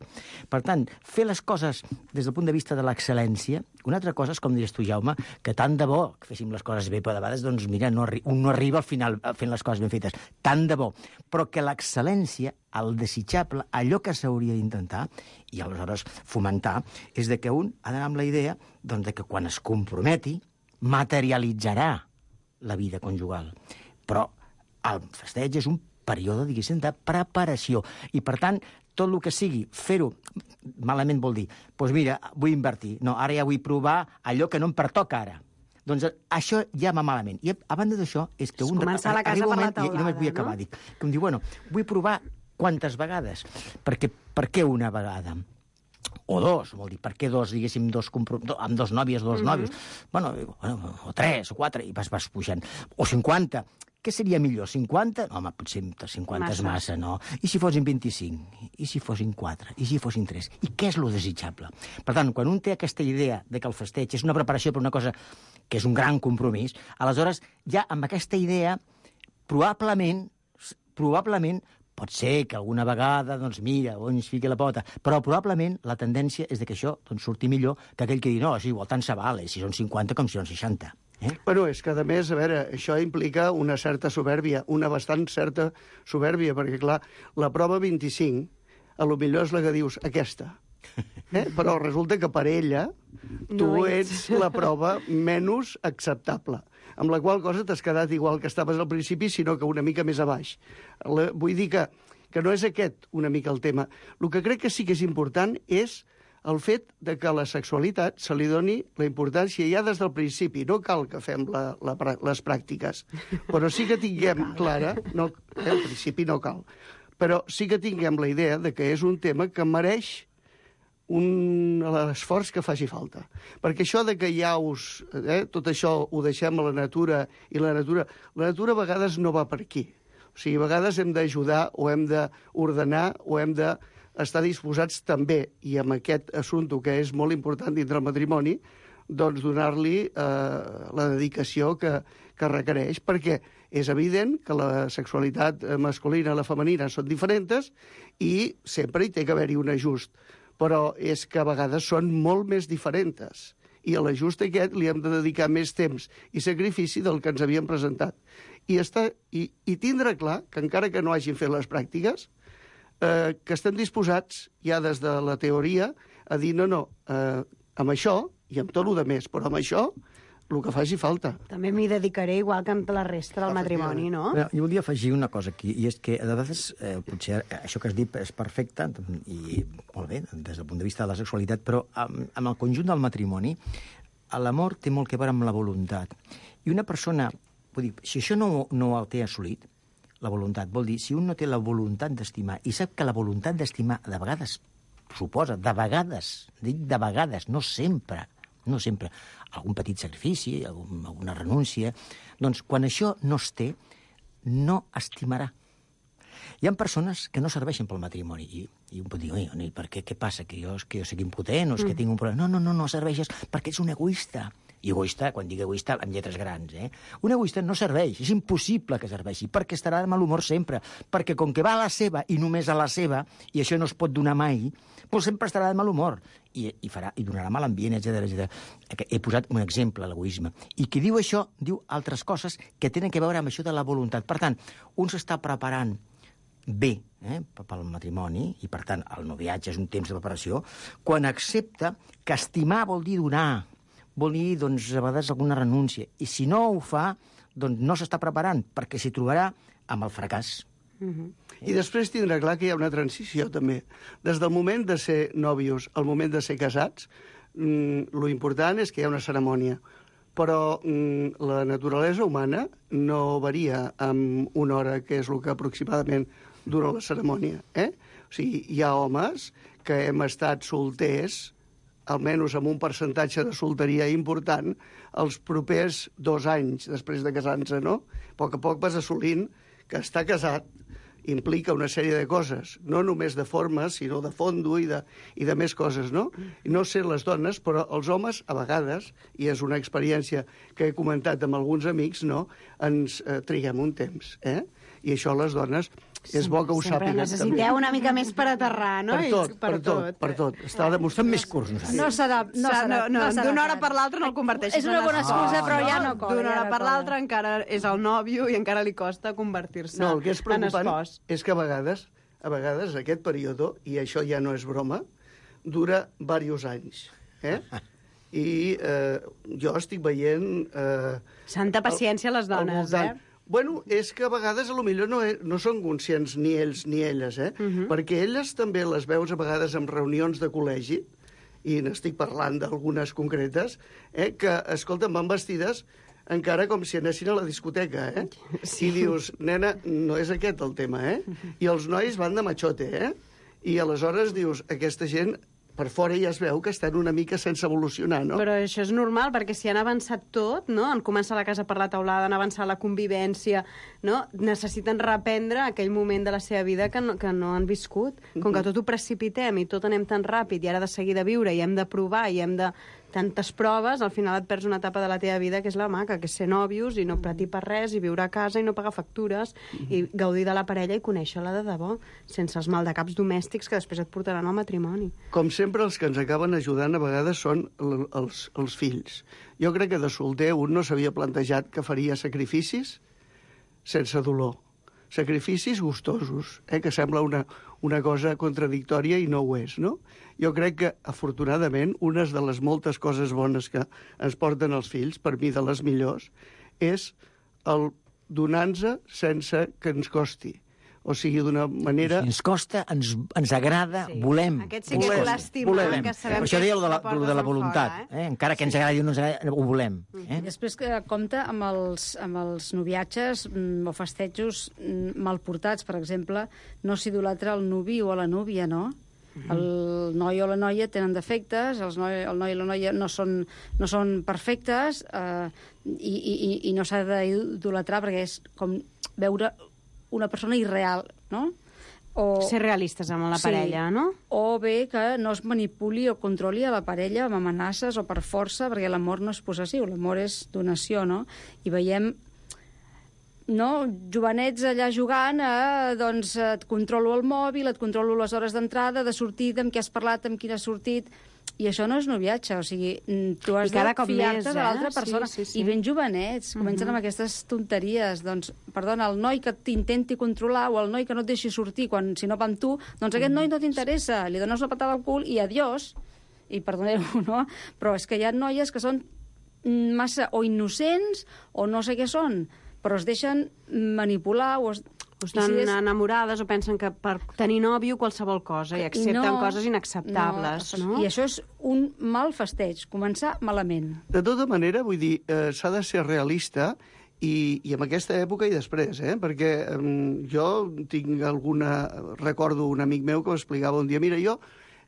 Per tant, fer les coses des del punt de vista de l'excel·lència, una altra cosa és, com dius tu, Jaume, que tant de bo que féssim les coses bé, però de vegades, doncs, mira, no arri un no arriba al final fent les coses ben fetes. Tant de bo. Però que l'excel·lència, el desitjable, allò que s'hauria d'intentar, i aleshores fomentar, és de que un ha d'anar amb la idea doncs, de que quan es comprometi, materialitzarà la vida conjugal. Però el festeig és un període, diguéssim, de preparació. I, per tant, tot el que sigui fer-ho malament vol dir, doncs mira, vull invertir. No, ara ja vull provar allò que no em pertoca ara. Doncs això ja va malament. I a banda d'això és que un... Començar la casa arriba un per la moment, i- i només teulada, vull acabar, no? dic, que em diu, bueno, vull provar quantes vegades. Perquè, per què una vegada? O dos, vol dir, per què dos, diguéssim, dos compro... do, amb dos nòvies, dos mm -hmm. nòvios? Bueno, bueno, o tres, o quatre, i vas, vas pujant. O cinquanta. Què seria millor, cinquanta? No, home, potser cinquanta massa. És massa, no? I si fossin vint-i-cinc? I si fossin quatre? I si fossin tres? I què és lo desitjable? Per tant, quan un té aquesta idea de que el festeig és una preparació per una cosa que és un gran compromís, aleshores, ja amb aquesta idea, probablement, probablement, pot ser que alguna vegada, doncs mira, on es fiqui la pota, però probablement la tendència és de que això doncs, surti millor que aquell que diu, no, és igual, tant se vale, si són cinquanta com si són seixanta. Eh? Bueno, és que, a més, a veure, això implica una certa soberbia, una bastant certa soberbia, perquè, clar, la prova vint-i-cinc, a lo millor és la que dius, aquesta. Eh? Però resulta que per ella tu No ets la prova menys acceptable, amb la qual cosa t'has quedat igual que estaves al principi, sinó que una mica més a baix. La, vull dir que, que no és aquest una mica el tema. El que crec que sí que és important és el fet de que a la sexualitat se li doni la importància ja des del principi. No cal que fem la, la, les pràctiques, però sí que tinguem clara... No, eh, al principi no cal. Però sí que tinguem la idea de que és un tema que mereix un esforç que faci falta. Perquè això de que ja us... Eh, tot això ho deixem a la natura, i la natura... La natura a vegades no va per aquí. O sigui, a vegades hem d'ajudar, o hem d'ordenar, o hem de... estar disposats també, i amb aquest assumpte que és molt important dintre el matrimoni, doncs donar-li eh, la dedicació que, que requereix, perquè és evident que la sexualitat masculina i la femenina són diferents i sempre hi té que haver-hi un ajust, però és que a vegades són molt més diferents i a l'ajust aquest li hem de dedicar més temps i sacrifici del que ens havíem presentat. I, estar, i, i tindre clar que encara que no hagin fet les pràctiques, Eh, que estem disposats, ja des de la teoria, a dir no, no, eh, amb això, i amb tot el de més, però amb això, el que faci falta. També m'hi dedicaré igual que amb la resta del matrimoni, no? Bé, jo volia afegir una cosa aquí, i és que a vegades, eh, potser això que has dit és perfecte, i molt bé, des del punt de vista de la sexualitat, però amb, amb el conjunt del matrimoni, l'amor té molt que veure amb la voluntat. I una persona, vull dir, si això no, no el té assolit, la voluntat, vol dir, si un no té la voluntat d'estimar, i sap que la voluntat d'estimar de vegades suposa, de vegades, dic de vegades, no sempre, no sempre, algun petit sacrifici, algun, alguna renúncia, doncs quan això no es té, no estimarà. Hi ha persones que no serveixen pel matrimoni, i, i un pot dir, oi, per què, què passa, que jo, que jo soc impotent o és que tinc un problema? No, no, no, no serveixes perquè ets un egoista. I egoista, quan dic egoista, amb lletres grans, eh? Un egoista no serveix, és impossible que serveixi, perquè estarà de mal humor sempre, perquè com que va a la seva i només a la seva, i això no es pot donar mai, doncs sempre estarà de mal humor, i, i, farà, i donarà mal ambient, etcètera, etcètera. He posat un exemple, l'egoisme. I qui diu això, diu altres coses que tenen a veure amb això de la voluntat. Per tant, un s'està preparant bé eh, pel matrimoni, i per tant el noviatge és un temps de preparació, quan accepta que estimar vol dir donar, vol dir, doncs, a vegades alguna renúncia. I si no ho fa, doncs no s'està preparant, perquè s'hi trobarà amb el fracàs. Uh-huh. I després tindrà clar que hi ha una transició, també. Des del moment de ser nòvios al moment de ser casats, mm, lo important és que hi ha una cerimònia. Però mm, la naturalesa humana no varia amb una hora, que és el que aproximadament dura la cerimònia. Eh? O sigui, hi ha homes que hem estat solters, almenys amb un percentatge de solteria important, els propers dos anys després de casar-se, no? A poc a poc vas assolint que estar casat implica una sèrie de coses, no només de formes, sinó de fondo i de, i de més coses, no? I no sé les dones, però els homes, a vegades, i és una experiència que he comentat amb alguns amics, no?, ens eh, triguem un temps, eh? I això les dones és bo que ho Sempre sàpiguen. necessiteu també. una mica més per aterrar, no? Per I tot, per tot, per tot. Està demostrat més curts, nosaltres. No serà... No Sa- serà, no, no, serà d'una hora tant. per l'altra no el converteixis És una en bona espòs, excusa, però ja no cola. D'una ja hora no per cola. l'altra encara és el nòvio i encara li costa convertir-se No, el que és en preocupant espòs. és que a vegades, a vegades aquest període, i això ja no és broma, dura diversos anys. Eh? I eh, jo estic veient... Eh, Santa paciència a les al dones, voltant. eh? Bueno, és que a vegades a lo millor no, he- no són conscients ni ells ni elles, eh? Mhm. Perquè elles també les veus a vegades en reunions de col·legi, i n'estic parlant d'algunes concretes, eh? que, escolta, van vestides encara com si anessin a la discoteca, eh? Sí. I dius, nena, no és aquest el tema, eh? I els nois van de machote, eh? I aleshores dius, aquesta gent per fora ja es veu que estan una mica sense evolucionar, no? Però això és normal, perquè si han avançat tot, no? Han començat la casa per la teulada, han avançat la convivència, no? Necessiten reprendre aquell moment de la seva vida que no, que no han viscut. Com que tot ho precipitem i tot anem tan ràpid i ara de seguir de viure i hem de provar i hem de tantes proves, al final et perds una etapa de la teva vida que és la maca, que és ser nòvios i no patir per res i viure a casa i no pagar factures i gaudir de la parella i conèixer-la de debò, sense els maldecaps domèstics que després et portaran al matrimoni. Com sempre, els que ens acaben ajudant a vegades són l- els, els fills. Jo crec que de solter un no s'havia plantejat que faria sacrificis sense dolor. Sacrificis gustosos, eh? Que sembla una, una cosa contradictòria i no ho és, no? Jo crec que, afortunadament, una de les moltes coses bones que ens porten els fills, per mi de les millors, és el donar-nos sense que ens costi. O sigui, d'una manera... Si ens costa, ens, ens agrada, Sí. volem. Aquest sí que és volem, l'estimar, volem. que sabem Per això que deia és el de la, de portes de la enfora, voluntat. eh? Eh? Encara que ens agradi o no ens agradi, ho volem. Eh? I després que compta amb els, amb els noviatges mm, o festejos mm, mal portats, per exemple, no s'idolatra el nuvi o la núvia, no? El noi o la noia tenen defectes, els noi, el noi i la noia no són, no són perfectes eh, i, i, i no s'ha d'idolatrar perquè és com veure una persona irreal, no? O, Ser realistes amb la parella, no? O bé que no es manipuli o controli a la parella amb amenaces o per força, perquè l'amor no és possessiu, l'amor és donació, no? I veiem no, jovenets allà jugant a, doncs, et controlo el mòbil, et controlo les hores d'entrada, de sortida, amb qui has parlat, amb qui has sortit... I això no és noviatge, o sigui, tu has I cada de cop fiar-te més, de eh? l'altra persona. Sí, sí, sí. I ben jovenets, comencen amb aquestes tonteries. Doncs, perdona, el noi que t'intenti controlar o el noi que no et deixi sortir quan, si no va amb tu, doncs aquest noi no t'interessa, li dones una patada al cul i adiós. I perdoneu, no? Però és que hi ha noies que són massa o innocents o no sé què són, però es deixen manipular o es... O estan I si és- enamorades o pensen que per tenir nòvio qualsevol cosa i accepten No, coses inacceptables, no? no? I això és un mal festeig, començar malament. De tota manera, vull dir, eh, s'ha de ser realista i, i en aquesta època i després, eh? Perquè eh, jo tinc alguna... Recordo un amic meu que m'explicava un dia, mira, jo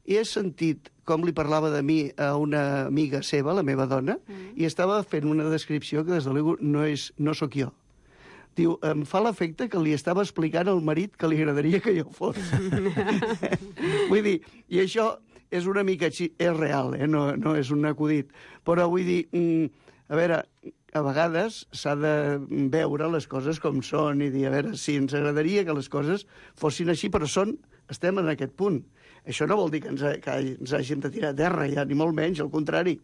he sentit com li parlava de mi a una amiga seva, la meva dona, mm. i estava fent una descripció que, des de l'ego, no, és, no sóc jo. Diu, em fa l'efecte que li estava explicant al marit que li agradaria que jo fos. Vull dir, i això és una mica així, és real, eh? no, no és un acudit. Però vull dir, mm, a veure, a vegades s'ha de veure les coses com són i dir, a veure, sí, ens agradaria que les coses fossin així, però són, estem en aquest punt. Això no vol dir que ens, ha, que ens hàgim de tirar a terra, ja, ni molt menys, al contrari.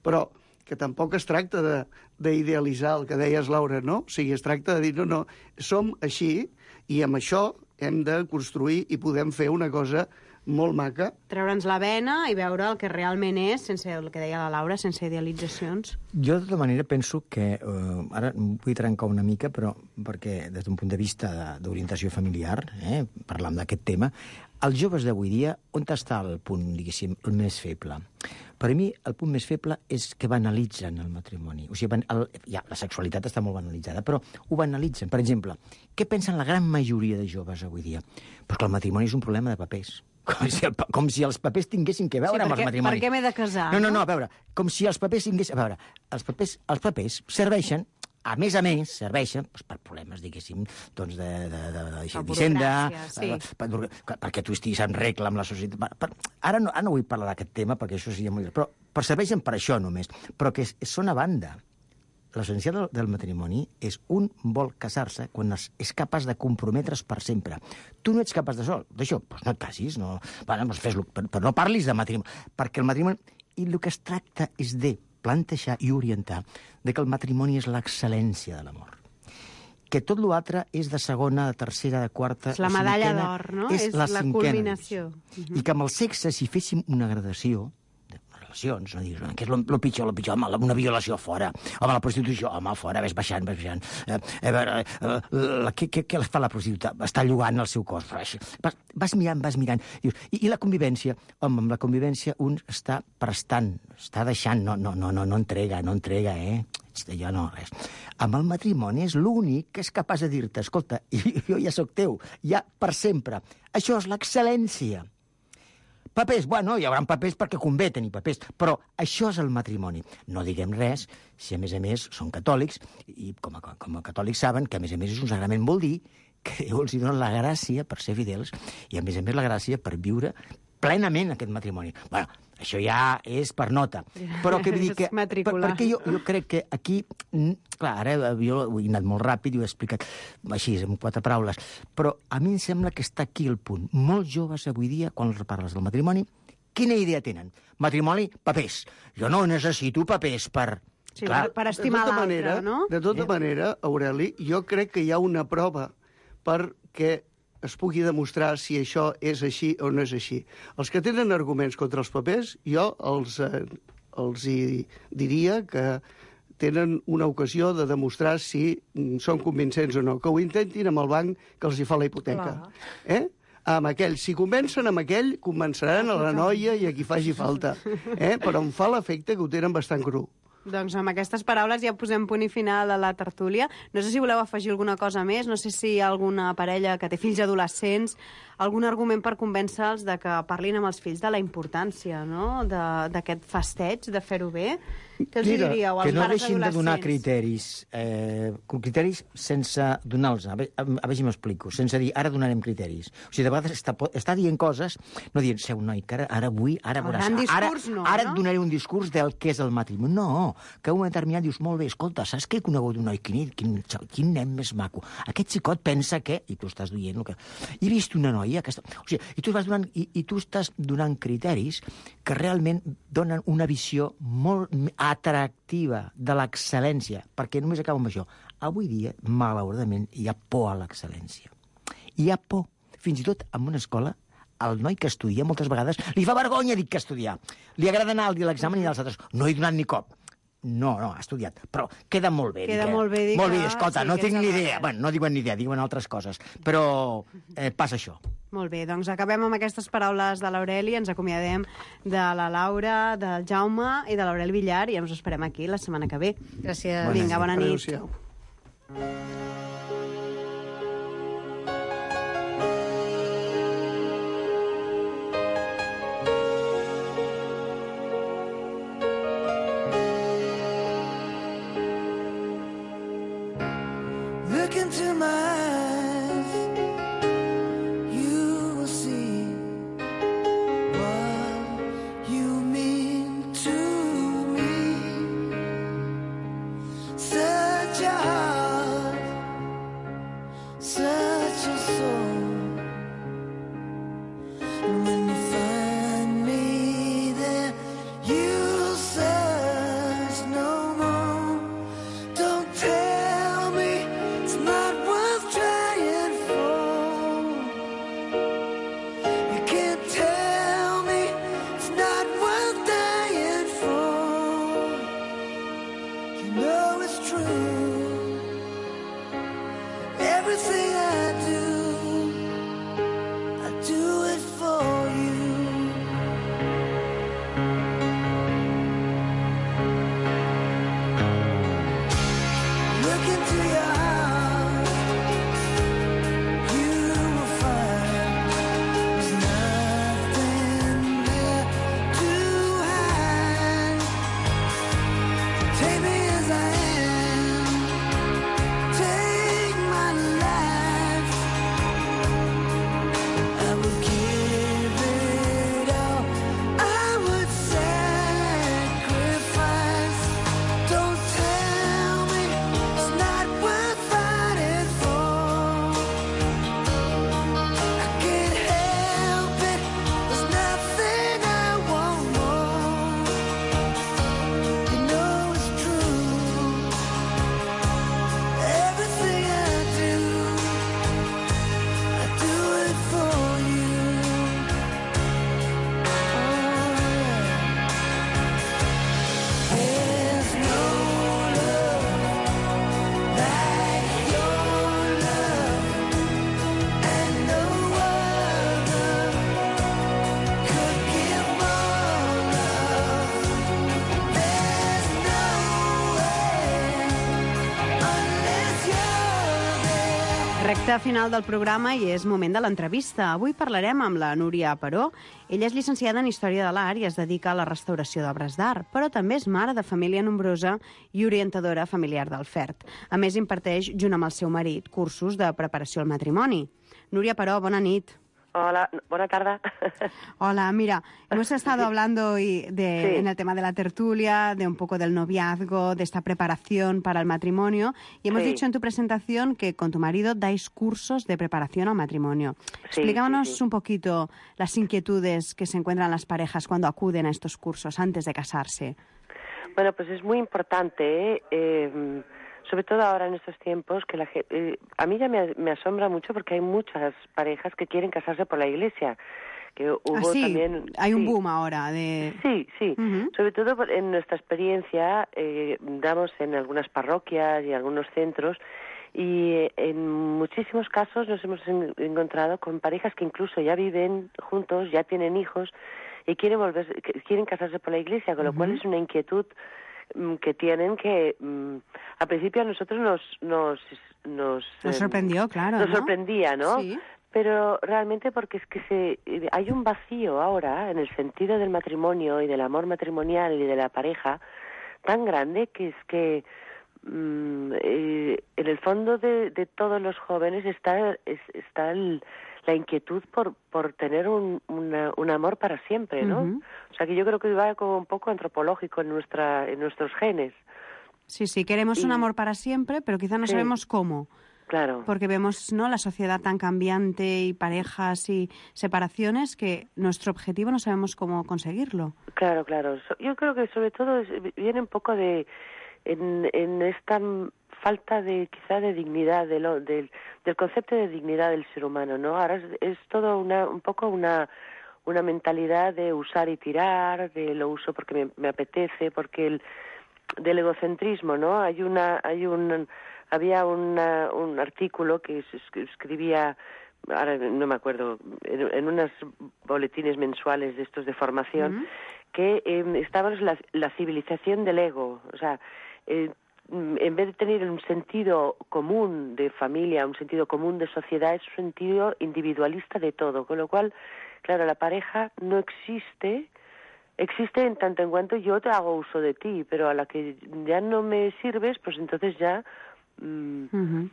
Però que tampoc es tracta d'idealitzar el que deies, Laura, no? O sigui, es tracta de dir, no, no, som així i amb això hem de construir i podem fer una cosa molt maca. Treure'ns la vena i veure el que realment és, sense el que deia la Laura, sense idealitzacions. Jo, de tota manera, penso que... Eh, ara vull trencar una mica, però perquè des d'un punt de vista d'orientació familiar, eh, parlant d'aquest tema, els joves d'avui dia, on està el punt, diguéssim, el més feble? Per a mi, el punt més feble és que banalitzen el matrimoni. O sigui, el, ja, la sexualitat està molt banalitzada, però ho banalitzen. Per exemple, què pensen la gran majoria de joves avui dia? Pues que el matrimoni és un problema de papers. Com si, el, com si els papers tinguessin que veure Sí, amb perquè- els matrimonis. per què m'he de casar, No, no, no? no, a veure, com si els papers tinguessin... A veure, els papers, els papers serveixen, a més a més, serveixen doncs, per problemes, diguéssim, doncs de, de, de, de d'Hisenda, burocràcia, sí. eh, per, perquè tu estiguis en regla amb la societat. Per, per, ara, no, ara no vull parlar d'aquest tema, perquè això seria molt... Però, però serveixen per això només. Però que és, són a banda. L'essencial del, del matrimoni és un vol casar-se quan es, és capaç de comprometre's per sempre. Tu no ets capaç de sol, d'això, doncs no et casis, no, bueno, doncs fes-lo, però, però no parlis de matrimoni, perquè el matrimoni... I el que es tracta és de plantejar i orientar de que el matrimoni és l'excel·lència de l'amor. Que tot l'altre és de segona, de tercera, de quarta... És la de medalla cinquena, d'or, no? És, És la, la cinquena culminació. divisió. I que amb el sexe, si féssim una gradació de relacions, no diguis, què és el pitjor, el pitjor, home, una violació fora, home, la prostitució, home, fora, ves baixant, ves baixant. Eh, eh, eh, la, què, què, què fa la prostituta? Està llogant el seu cos. Vas, vas mirant, vas mirant. Dius, i, I la convivència? Home, amb la convivència un està prestant, està deixant, no, no, no, no, no entrega, no entrega, eh? Jo no, res. Amb el matrimoni és l'únic que és capaç de dir-te, escolta, jo ja sóc teu, ja per sempre. Això és l'excel·lència. Papers, bueno, hi haurà papers perquè convé tenir papers, però això és el matrimoni. No diguem res si, a més a més, són catòlics, i com a, com a catòlics saben que, a més a més, és un sagrament, vol dir que Déu els dona la gràcia per ser fidels i, a més a més, la gràcia per viure plenament aquest matrimoni. Bueno, això ja és per nota. Però què vull dir que... Per, perquè jo, jo crec que aquí... Clar, ara jo he anat molt ràpid i ho he explicat així, en quatre paraules. Però a mi em sembla que està aquí el punt. Molts joves avui dia, quan els parles del matrimoni, quina idea tenen? Matrimoni, papers. Jo no necessito papers per... Sí, clar, per, per estimar l'altre, no? De tota manera, Aureli, jo crec que hi ha una prova perquè es pugui demostrar si això és així o no és així. Els que tenen arguments contra els papers, jo els, eh, els hi diria que tenen una ocasió de demostrar si són convincents o no. Que ho intentin amb el banc que els hi fa la hipoteca. Eh? Amb aquell, si convencen amb aquell, convenceran a la noia i a qui faci falta. Eh? Però em fa l'efecte que ho tenen bastant cru. Doncs amb aquestes paraules ja posem punt i final a la tertúlia. No sé si voleu afegir alguna cosa més, no sé si hi ha alguna parella que té fills adolescents, algun argument per convèncer-los de que parlin amb els fills de la importància, no?, d'aquest festeig, de fer-ho bé. Què els Mira, diríeu als que no pares deixin de donar adolescents? criteris, eh, criteris sense donar-los, a, ve- a, a veure si m'explico, sense dir, ara donarem criteris. O sigui, de vegades està, po- està dient coses, no dient, seu noi, que ara, ara vull, ara El veuràs, gran ara, discurs no, ara no? et donaré un discurs del que és el matrimoni. No, que un moment determinat dius, molt bé, escolta, saps que he conegut un noi, quin, quin, quin nen més maco. Aquest xicot pensa que... I tu estàs dient el que... He vist una noia que... Està... O sigui, i tu, vas donant, i, i tu estàs donant criteris que realment donen una visió molt atractiva de l'excel·lència, perquè només acabo amb això. Avui dia, malauradament, hi ha por a l'excel·lència. Hi ha por. Fins i tot en una escola, el noi que estudia moltes vegades li fa vergonya dir que estudiar. Li agrada anar al dia a l'examen i als altres. No he donat ni cop. No, no, ha estudiat. Però queda molt bé. Queda dir que- molt bé dir molt bé, que- escolta, sí, no que tinc ets ni al idea. revés. Bueno, no diuen ni idea, diuen altres coses. Però eh, passa això. Molt bé, doncs acabem amb aquestes paraules de l'Aureli, ens acomiadem de la Laura, del Jaume i de l'Aureli Villar i ens us esperem aquí la setmana que ve. Gràcies. Vinga, bona nit. Adéu-siau. Look into my eyes, you will see what you mean to me. Such a heart, such a soul. And when you find me there, you'll search no more. Don't tell me it's not worth trying for. You can't tell me it's not worth dying for. You know it's true. Everything I do, I do it for you. Look into your heart, you will find there's nothing there to hide. Take me as I am, take my life. I would give it all, I would sacrifice. Don't tell me it's not worth fighting for. I can't help it, there's nothing I want more. You know it's true. Everything I do, I do it for you. Oh, yeah. There's no love like your love, and no other could give more love. There's no way unless you're there. Recte final del programa i és moment de l'entrevista. Avui parlarem amb la Núria Peró. Ella és llicenciada en Història de l'Art i es dedica a la restauració d'obres d'art, però també és mare de família nombrosa i orientadora familiar del F E R T. A més, imparteix, junt amb el seu marit, cursos de preparació al matrimoni. Núria Peró, bona nit. Hola, buena tarde. Hola, mira, hemos estado hablando y de, Sí. en el tema de la tertulia, de un poco del noviazgo, de esta preparación para el matrimonio, y hemos Sí. dicho en tu presentación que con tu marido dais cursos de preparación al matrimonio. Sí, Explícanos sí, sí. un poquito las inquietudes que se encuentran las parejas cuando acuden a estos cursos antes de casarse. Bueno, pues es muy importante, ¿eh? Eh, sobre todo ahora en estos tiempos, que la ge- eh, a mí ya me, me asombra mucho porque hay muchas parejas que quieren casarse por la iglesia, que hubo ah, sí, también... hay sí. un boom ahora de... Sí, sí. Uh-huh. Sobre todo en nuestra experiencia, eh, damos en algunas parroquias y algunos centros, y en muchísimos casos nos hemos en- encontrado con parejas que incluso ya viven juntos, ya tienen hijos, y quieren volver, quieren casarse por la iglesia, con lo uh-huh. cual es una inquietud mm, que tienen que mm, al principio a nosotros nos nos nos, nos sorprendió, eh, claro, nos ¿no? sorprendía, ¿no? Sí. Pero realmente porque es que se hay un vacío ahora en el sentido del matrimonio y del amor matrimonial y de la pareja tan grande que es que mm, eh, en el fondo de, de todos los jóvenes está es, está el, la inquietud por por tener un una, un amor para siempre, ¿no? Uh-huh. O sea que yo creo que va como un poco antropológico en nuestra en nuestros genes. Sí, sí, queremos y... un amor para siempre, pero quizá no sí. sabemos cómo. Claro. Porque vemos, ¿no?, la sociedad tan cambiante y parejas y separaciones que nuestro objetivo no sabemos cómo conseguirlo. Claro, claro. Yo creo que sobre todo es, viene un poco de en, en esta falta de quizá de dignidad de lo, del, del concepto de dignidad del ser humano, ¿no? Ahora es, es todo una un poco una una mentalidad de usar y tirar, de lo uso porque me, me apetece, porque el del egocentrismo, ¿no? Hay una hay un había una, un artículo que se escribía, ahora no me acuerdo, en, en unos boletines mensuales de estos de formación, uh-huh. que eh, estaba la, la civilización del ego, o sea, eh, en vez de tener un sentido común de familia, un sentido común de sociedad, es un sentido individualista de todo, con lo cual, claro, la pareja no existe. Existe en tanto en cuanto yo te hago uso de ti, pero a la que ya no me sirves, pues entonces ya mm, uh-huh.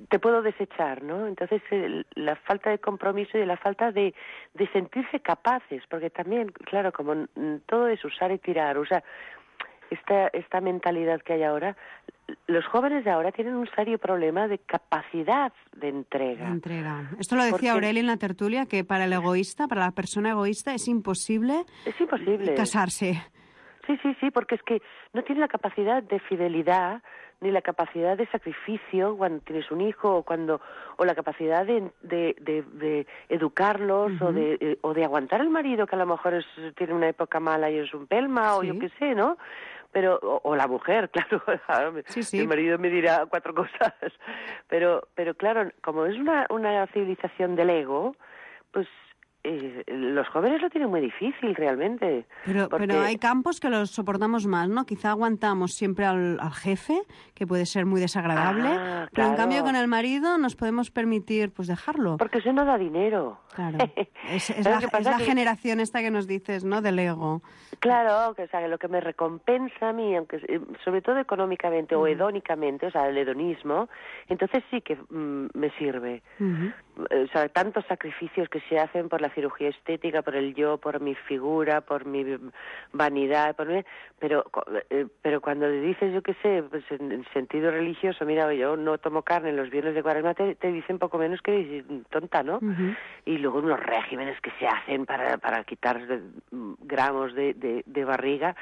te puedo desechar, ¿no? Entonces el, la falta de compromiso y la falta de, de sentirse capaces, porque también, claro, como mm, todo es usar y tirar, o sea, esta, esta mentalidad que hay ahora, los jóvenes de ahora tienen un serio problema de capacidad de entrega. De entrega. Esto lo decía Porque... Aurelia en la tertulia, que para el egoísta, para la persona egoísta, es imposible, es imposible casarse. Sí, sí, sí, porque es que no tiene la capacidad de fidelidad ni la capacidad de sacrificio cuando tienes un hijo o cuando o la capacidad de, de, de, de educarlos uh-huh. o de eh, o de aguantar al marido que a lo mejor es, tiene una época mala y es un pelma sí. o yo qué sé, ¿no? Pero o, o la mujer, claro, sí, sí. el marido me dirá cuatro cosas, pero pero claro, como es una una civilización del ego, pues eh, los jóvenes lo tienen muy difícil realmente. Pero porque... pero hay campos que los soportamos más, ¿no? Quizá aguantamos siempre al, al jefe, que puede ser muy desagradable, ah, pero claro. en cambio con el marido nos podemos permitir pues dejarlo. Porque eso no da dinero. Claro. Es, es la, es la que... generación esta que nos dices, ¿no? Del ego. Claro, que o sea, lo que me recompensa a mí, aunque sobre todo económicamente uh-huh. o hedónicamente, o sea, el hedonismo, entonces sí que mm, me sirve. Uh-huh. O sea, tantos sacrificios que se hacen por la cirugía estética, por el yo, por mi figura, por mi vanidad, por mi... pero eh, pero cuando le dices, yo qué sé, pues en, en sentido religioso, mira, yo no tomo carne en los viernes de Cuaresma, te, te dicen poco menos que tonta, ¿no? Uh-huh. Y luego unos regímenes que se hacen para para quitar gramos de, de, de barriga.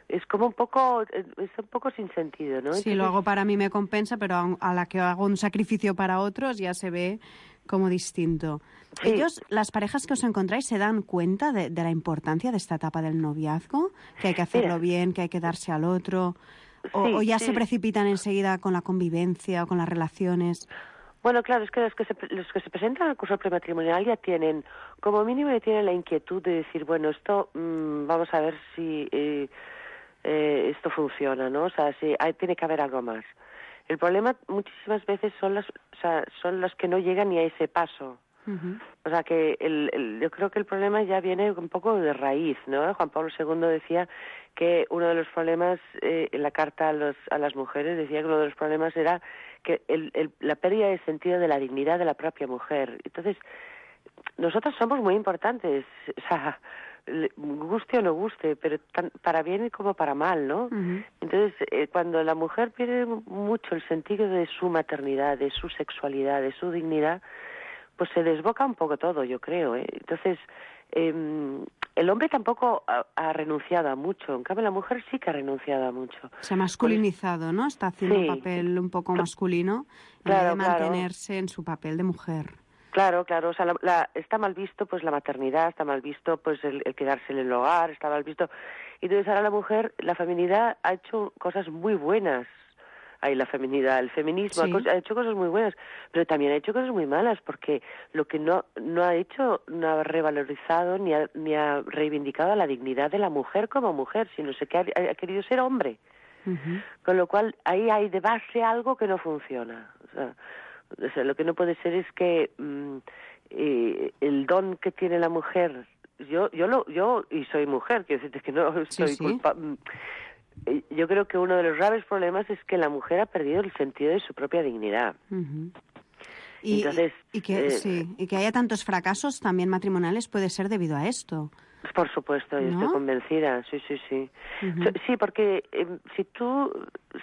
Es como un poco, es un poco sin sentido, ¿no? Sí, Entonces... lo hago para mí me compensa, pero a la que hago un sacrificio para otros ya se ve como distinto. Sí. Ellos, las parejas que os encontráis, ¿se dan cuenta de, de la importancia de esta etapa del noviazgo? Que hay que hacerlo Mira. bien, que hay que darse al otro, o, sí, o ya sí. se precipitan enseguida con la convivencia o con las relaciones. Bueno, claro, es que los que se, los que se presentan al curso prematrimonial ya tienen, como mínimo ya tienen la inquietud de decir, bueno, esto, mmm, vamos a ver si eh, eh, esto funciona, ¿no? O sea, si hay, tiene que haber algo más. El problema muchísimas veces son las, o sea, son los que no llegan ni a ese paso. Uh-huh. O sea, que el, el, yo creo que el problema ya viene un poco de raíz, ¿no? Juan Pablo segundo decía que uno de los problemas, eh, en la carta a, los, a las mujeres, decía que uno de los problemas era que el, el, la pérdida de sentido de la dignidad de la propia mujer. Entonces, nosotros somos muy importantes, o sea, guste o no guste, pero tan, para bien como para mal, ¿no? Uh-huh. Entonces, eh, cuando la mujer pierde mucho el sentido de su maternidad, de su sexualidad, de su dignidad, pues se desboca un poco todo, yo creo, ¿eh? Entonces, eh, el hombre tampoco ha, ha renunciado a mucho, en cambio la mujer sí que ha renunciado a mucho. Se ha masculinizado, pues, ¿no? Está haciendo sí. un papel un poco masculino, claro, en vez de mantenerse claro. en su papel de mujer. Claro, claro, o sea, la, la, está mal visto pues la maternidad, está mal visto pues el, el quedarse en el hogar, está mal visto. Y entonces ahora la mujer, la feminidad ha hecho cosas muy buenas. Ahí la feminidad, el feminismo sí. ha, ha hecho cosas muy buenas, pero también ha hecho cosas muy malas, porque lo que no no ha hecho, no ha revalorizado ni ha, ni ha reivindicado la dignidad de la mujer como mujer, sino que ha, ha querido ser hombre. Uh-huh. Con lo cual ahí hay de base algo que no funciona. O sea, O sea, lo que no puede ser es que mmm, eh, el don que tiene la mujer, yo yo lo yo y soy mujer, quiero decirte que no soy sí, sí. culpa. Eh, yo creo que uno de los graves problemas es que la mujer ha perdido el sentido de su propia dignidad. Uh-huh. Y, Entonces, y, que, eh, sí, y que haya tantos fracasos también matrimoniales puede ser debido a esto. Por supuesto, yo ¿no? estoy convencida, sí, sí, sí. Uh-huh. Sí, porque eh, si tú,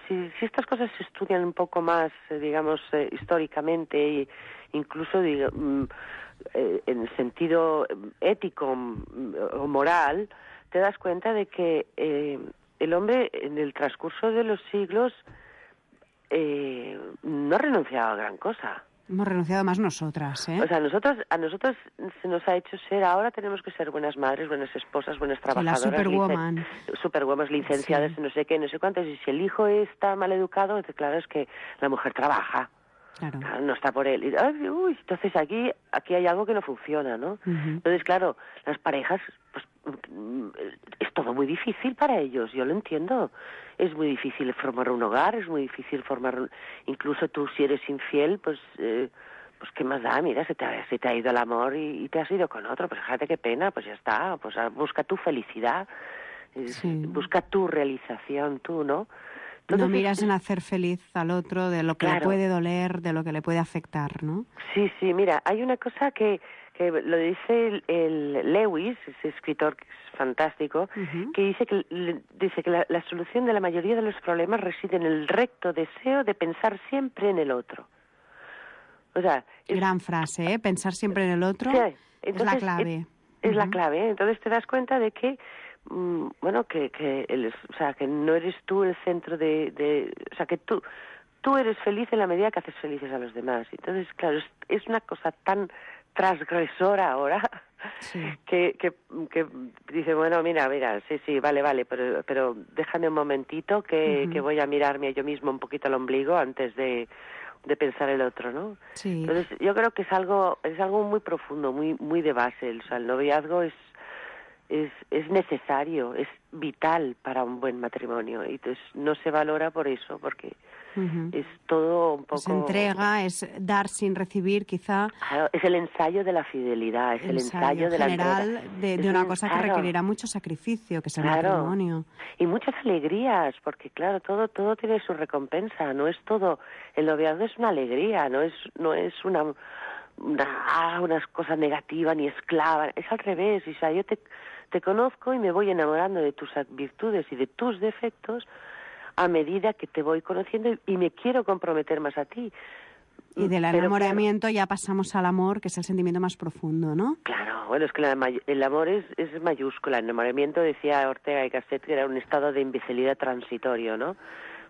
si, si estas cosas se estudian un poco más, eh, digamos, eh, históricamente e incluso digo, mm, eh, en el sentido ético mm, o moral, te das cuenta de que eh, el hombre en el transcurso de los siglos eh, no ha renunciado a gran cosa. Hemos renunciado más nosotras, ¿eh? O sea, nosotros, a nosotros se nos ha hecho ser, ahora tenemos que ser buenas madres, buenas esposas, buenas trabajadoras. Sí, la superwoman. Licen, superwoman, licenciadas, sí. no sé qué, no sé cuántas. Y si el hijo está mal educado, entonces claro, es que la mujer trabaja. Claro. Claro, no está por él. Y, ay, uy, entonces aquí aquí hay algo que no funciona, ¿no? Uh-huh. Entonces, claro, las parejas, pues es todo muy difícil para ellos, yo lo entiendo. Es muy difícil formar un hogar, es muy difícil formar... Un... Incluso tú, si eres infiel, pues... Eh, pues qué más da, mira, se te, ha, se te ha ido el amor y, y te has ido con otro, pues fíjate qué pena, pues ya está, pues busca tu felicidad, sí. busca tu realización, tú, ¿no? Entonces, no miras en hacer feliz al otro, de lo que claro. le puede doler, de lo que le puede afectar, ¿no? Sí, sí, mira, hay una cosa que, que lo dice el, el Lewis, ese escritor que es fantástico, uh-huh. que dice que, le, dice que la, la solución de la mayoría de los problemas reside en el recto deseo de pensar siempre en el otro. O sea, es, gran frase, ¿eh? Pensar siempre en el otro, sí, entonces, es la clave. Es, es uh-huh. la clave, ¿eh? Entonces te das cuenta de que, mmm, bueno, que, que el, o sea, que no eres tú el centro de, de, o sea, que tú, tú eres feliz en la medida que haces felices a los demás. Entonces, claro, es, es una cosa tan transgresora ahora. Sí. Que, que, que dice, bueno, mira, mira, sí, sí, vale, vale, pero, pero déjame un momentito que, uh-huh. que voy a mirarme a yo mismo un poquito al ombligo antes de, de pensar el otro, ¿no? Sí. Entonces, yo creo que es algo, es algo muy profundo, muy, muy de base. O sea, el noviazgo es, es, es necesario, es vital para un buen matrimonio. Y entonces no se valora por eso, porque uh-huh. es todo un poco... Es entrega, es dar sin recibir, quizá... Claro, es el ensayo de la fidelidad, es el ensayo, ensayo de la general de, de una cosa claro. que requerirá mucho sacrificio, que es el claro. matrimonio. Y muchas alegrías, porque claro, todo todo tiene su recompensa, no es todo... El noviazgo es una alegría, no es no es una... una ah, unas cosas negativas ni esclava, es al revés. O sea, yo te, te conozco y me voy enamorando de tus virtudes y de tus defectos a medida que te voy conociendo y, y me quiero comprometer más a ti. Y del Pero, enamoramiento claro, ya pasamos al amor, que es el sentimiento más profundo, ¿no? Claro, bueno, es que la, el amor es, es mayúscula. El enamoramiento, decía Ortega y Gasset, que era un estado de imbecilidad transitorio, ¿no?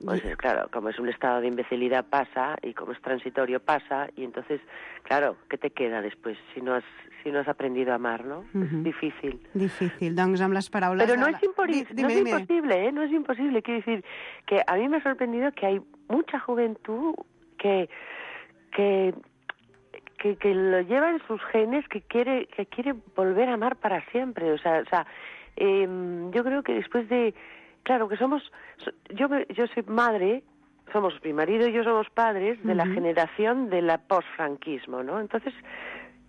Pues y... claro, como es un estado de imbecilidad pasa, y como es transitorio pasa, y entonces, claro, ¿qué te queda después si no has si no has aprendido a amar, no? Uh-huh. Es difícil. Difícil, doncs amb les paraules... Pero no es, impori- Di- no dime, es dime. imposible, ¿eh? No es imposible. Quiero decir que a mí me ha sorprendido que hay mucha juventud que... que Que, que lo lleva en sus genes, que quiere que quiere volver a amar para siempre. O sea, o sea eh, yo creo que después de... Claro, que somos... Yo, yo soy madre, somos mi marido y yo somos padres de uh-huh. la generación de la posfranquismo, ¿no? Entonces,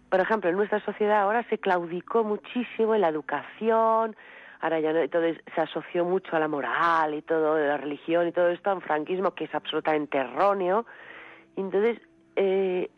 por ejemplo, en nuestra sociedad ahora se claudicó muchísimo en la educación, ahora ya no, entonces se asoció mucho a la moral y todo, la religión y todo esto, a un franquismo que es absolutamente erróneo. Entonces... Eh,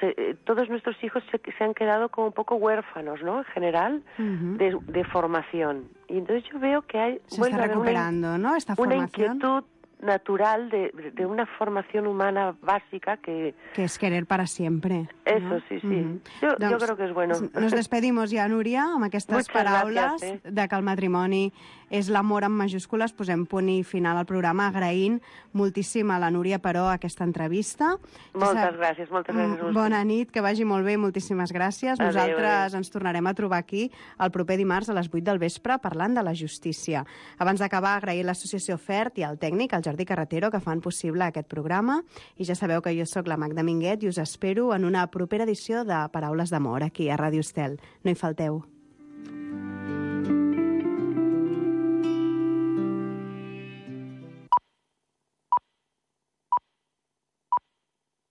se, eh, todos nuestros hijos se, se han quedado como un poco huérfanos, ¿no? En general, uh-huh. de, de formación. Y entonces yo veo que hay... Se está recuperando, una, ¿no? Esta una formación. inquietud natural de, de una formación humana básica que... Que es querer para siempre. Eso, ¿no? sí, sí. Mm-hmm. Yo, doncs, yo creo que es bueno. Nos despedimos ja, Núria, amb aquestes Muchas paraules gracias, eh? de que el matrimoni és l'amor amb majúscules. Posem punt i final al programa agraint moltíssim a la Núria Peró aquesta entrevista. Moltes gràcies, moltes gràcies. a Bona vosaltres. nit, que vagi molt bé i moltíssimes gràcies. Adéu, Nosaltres adéu. ens tornarem a trobar aquí el proper dimarts a les vuit del vespre parlant de la justícia. Abans d'acabar, agrair l'associació FERT i al tècnic, el Jordi Carretero, que fan possible aquest programa. I ja sabeu que jo sóc la Magda Minguet i us espero en una propera edició de Paraules d'Amor aquí a Ràdio Estel. No hi falteu.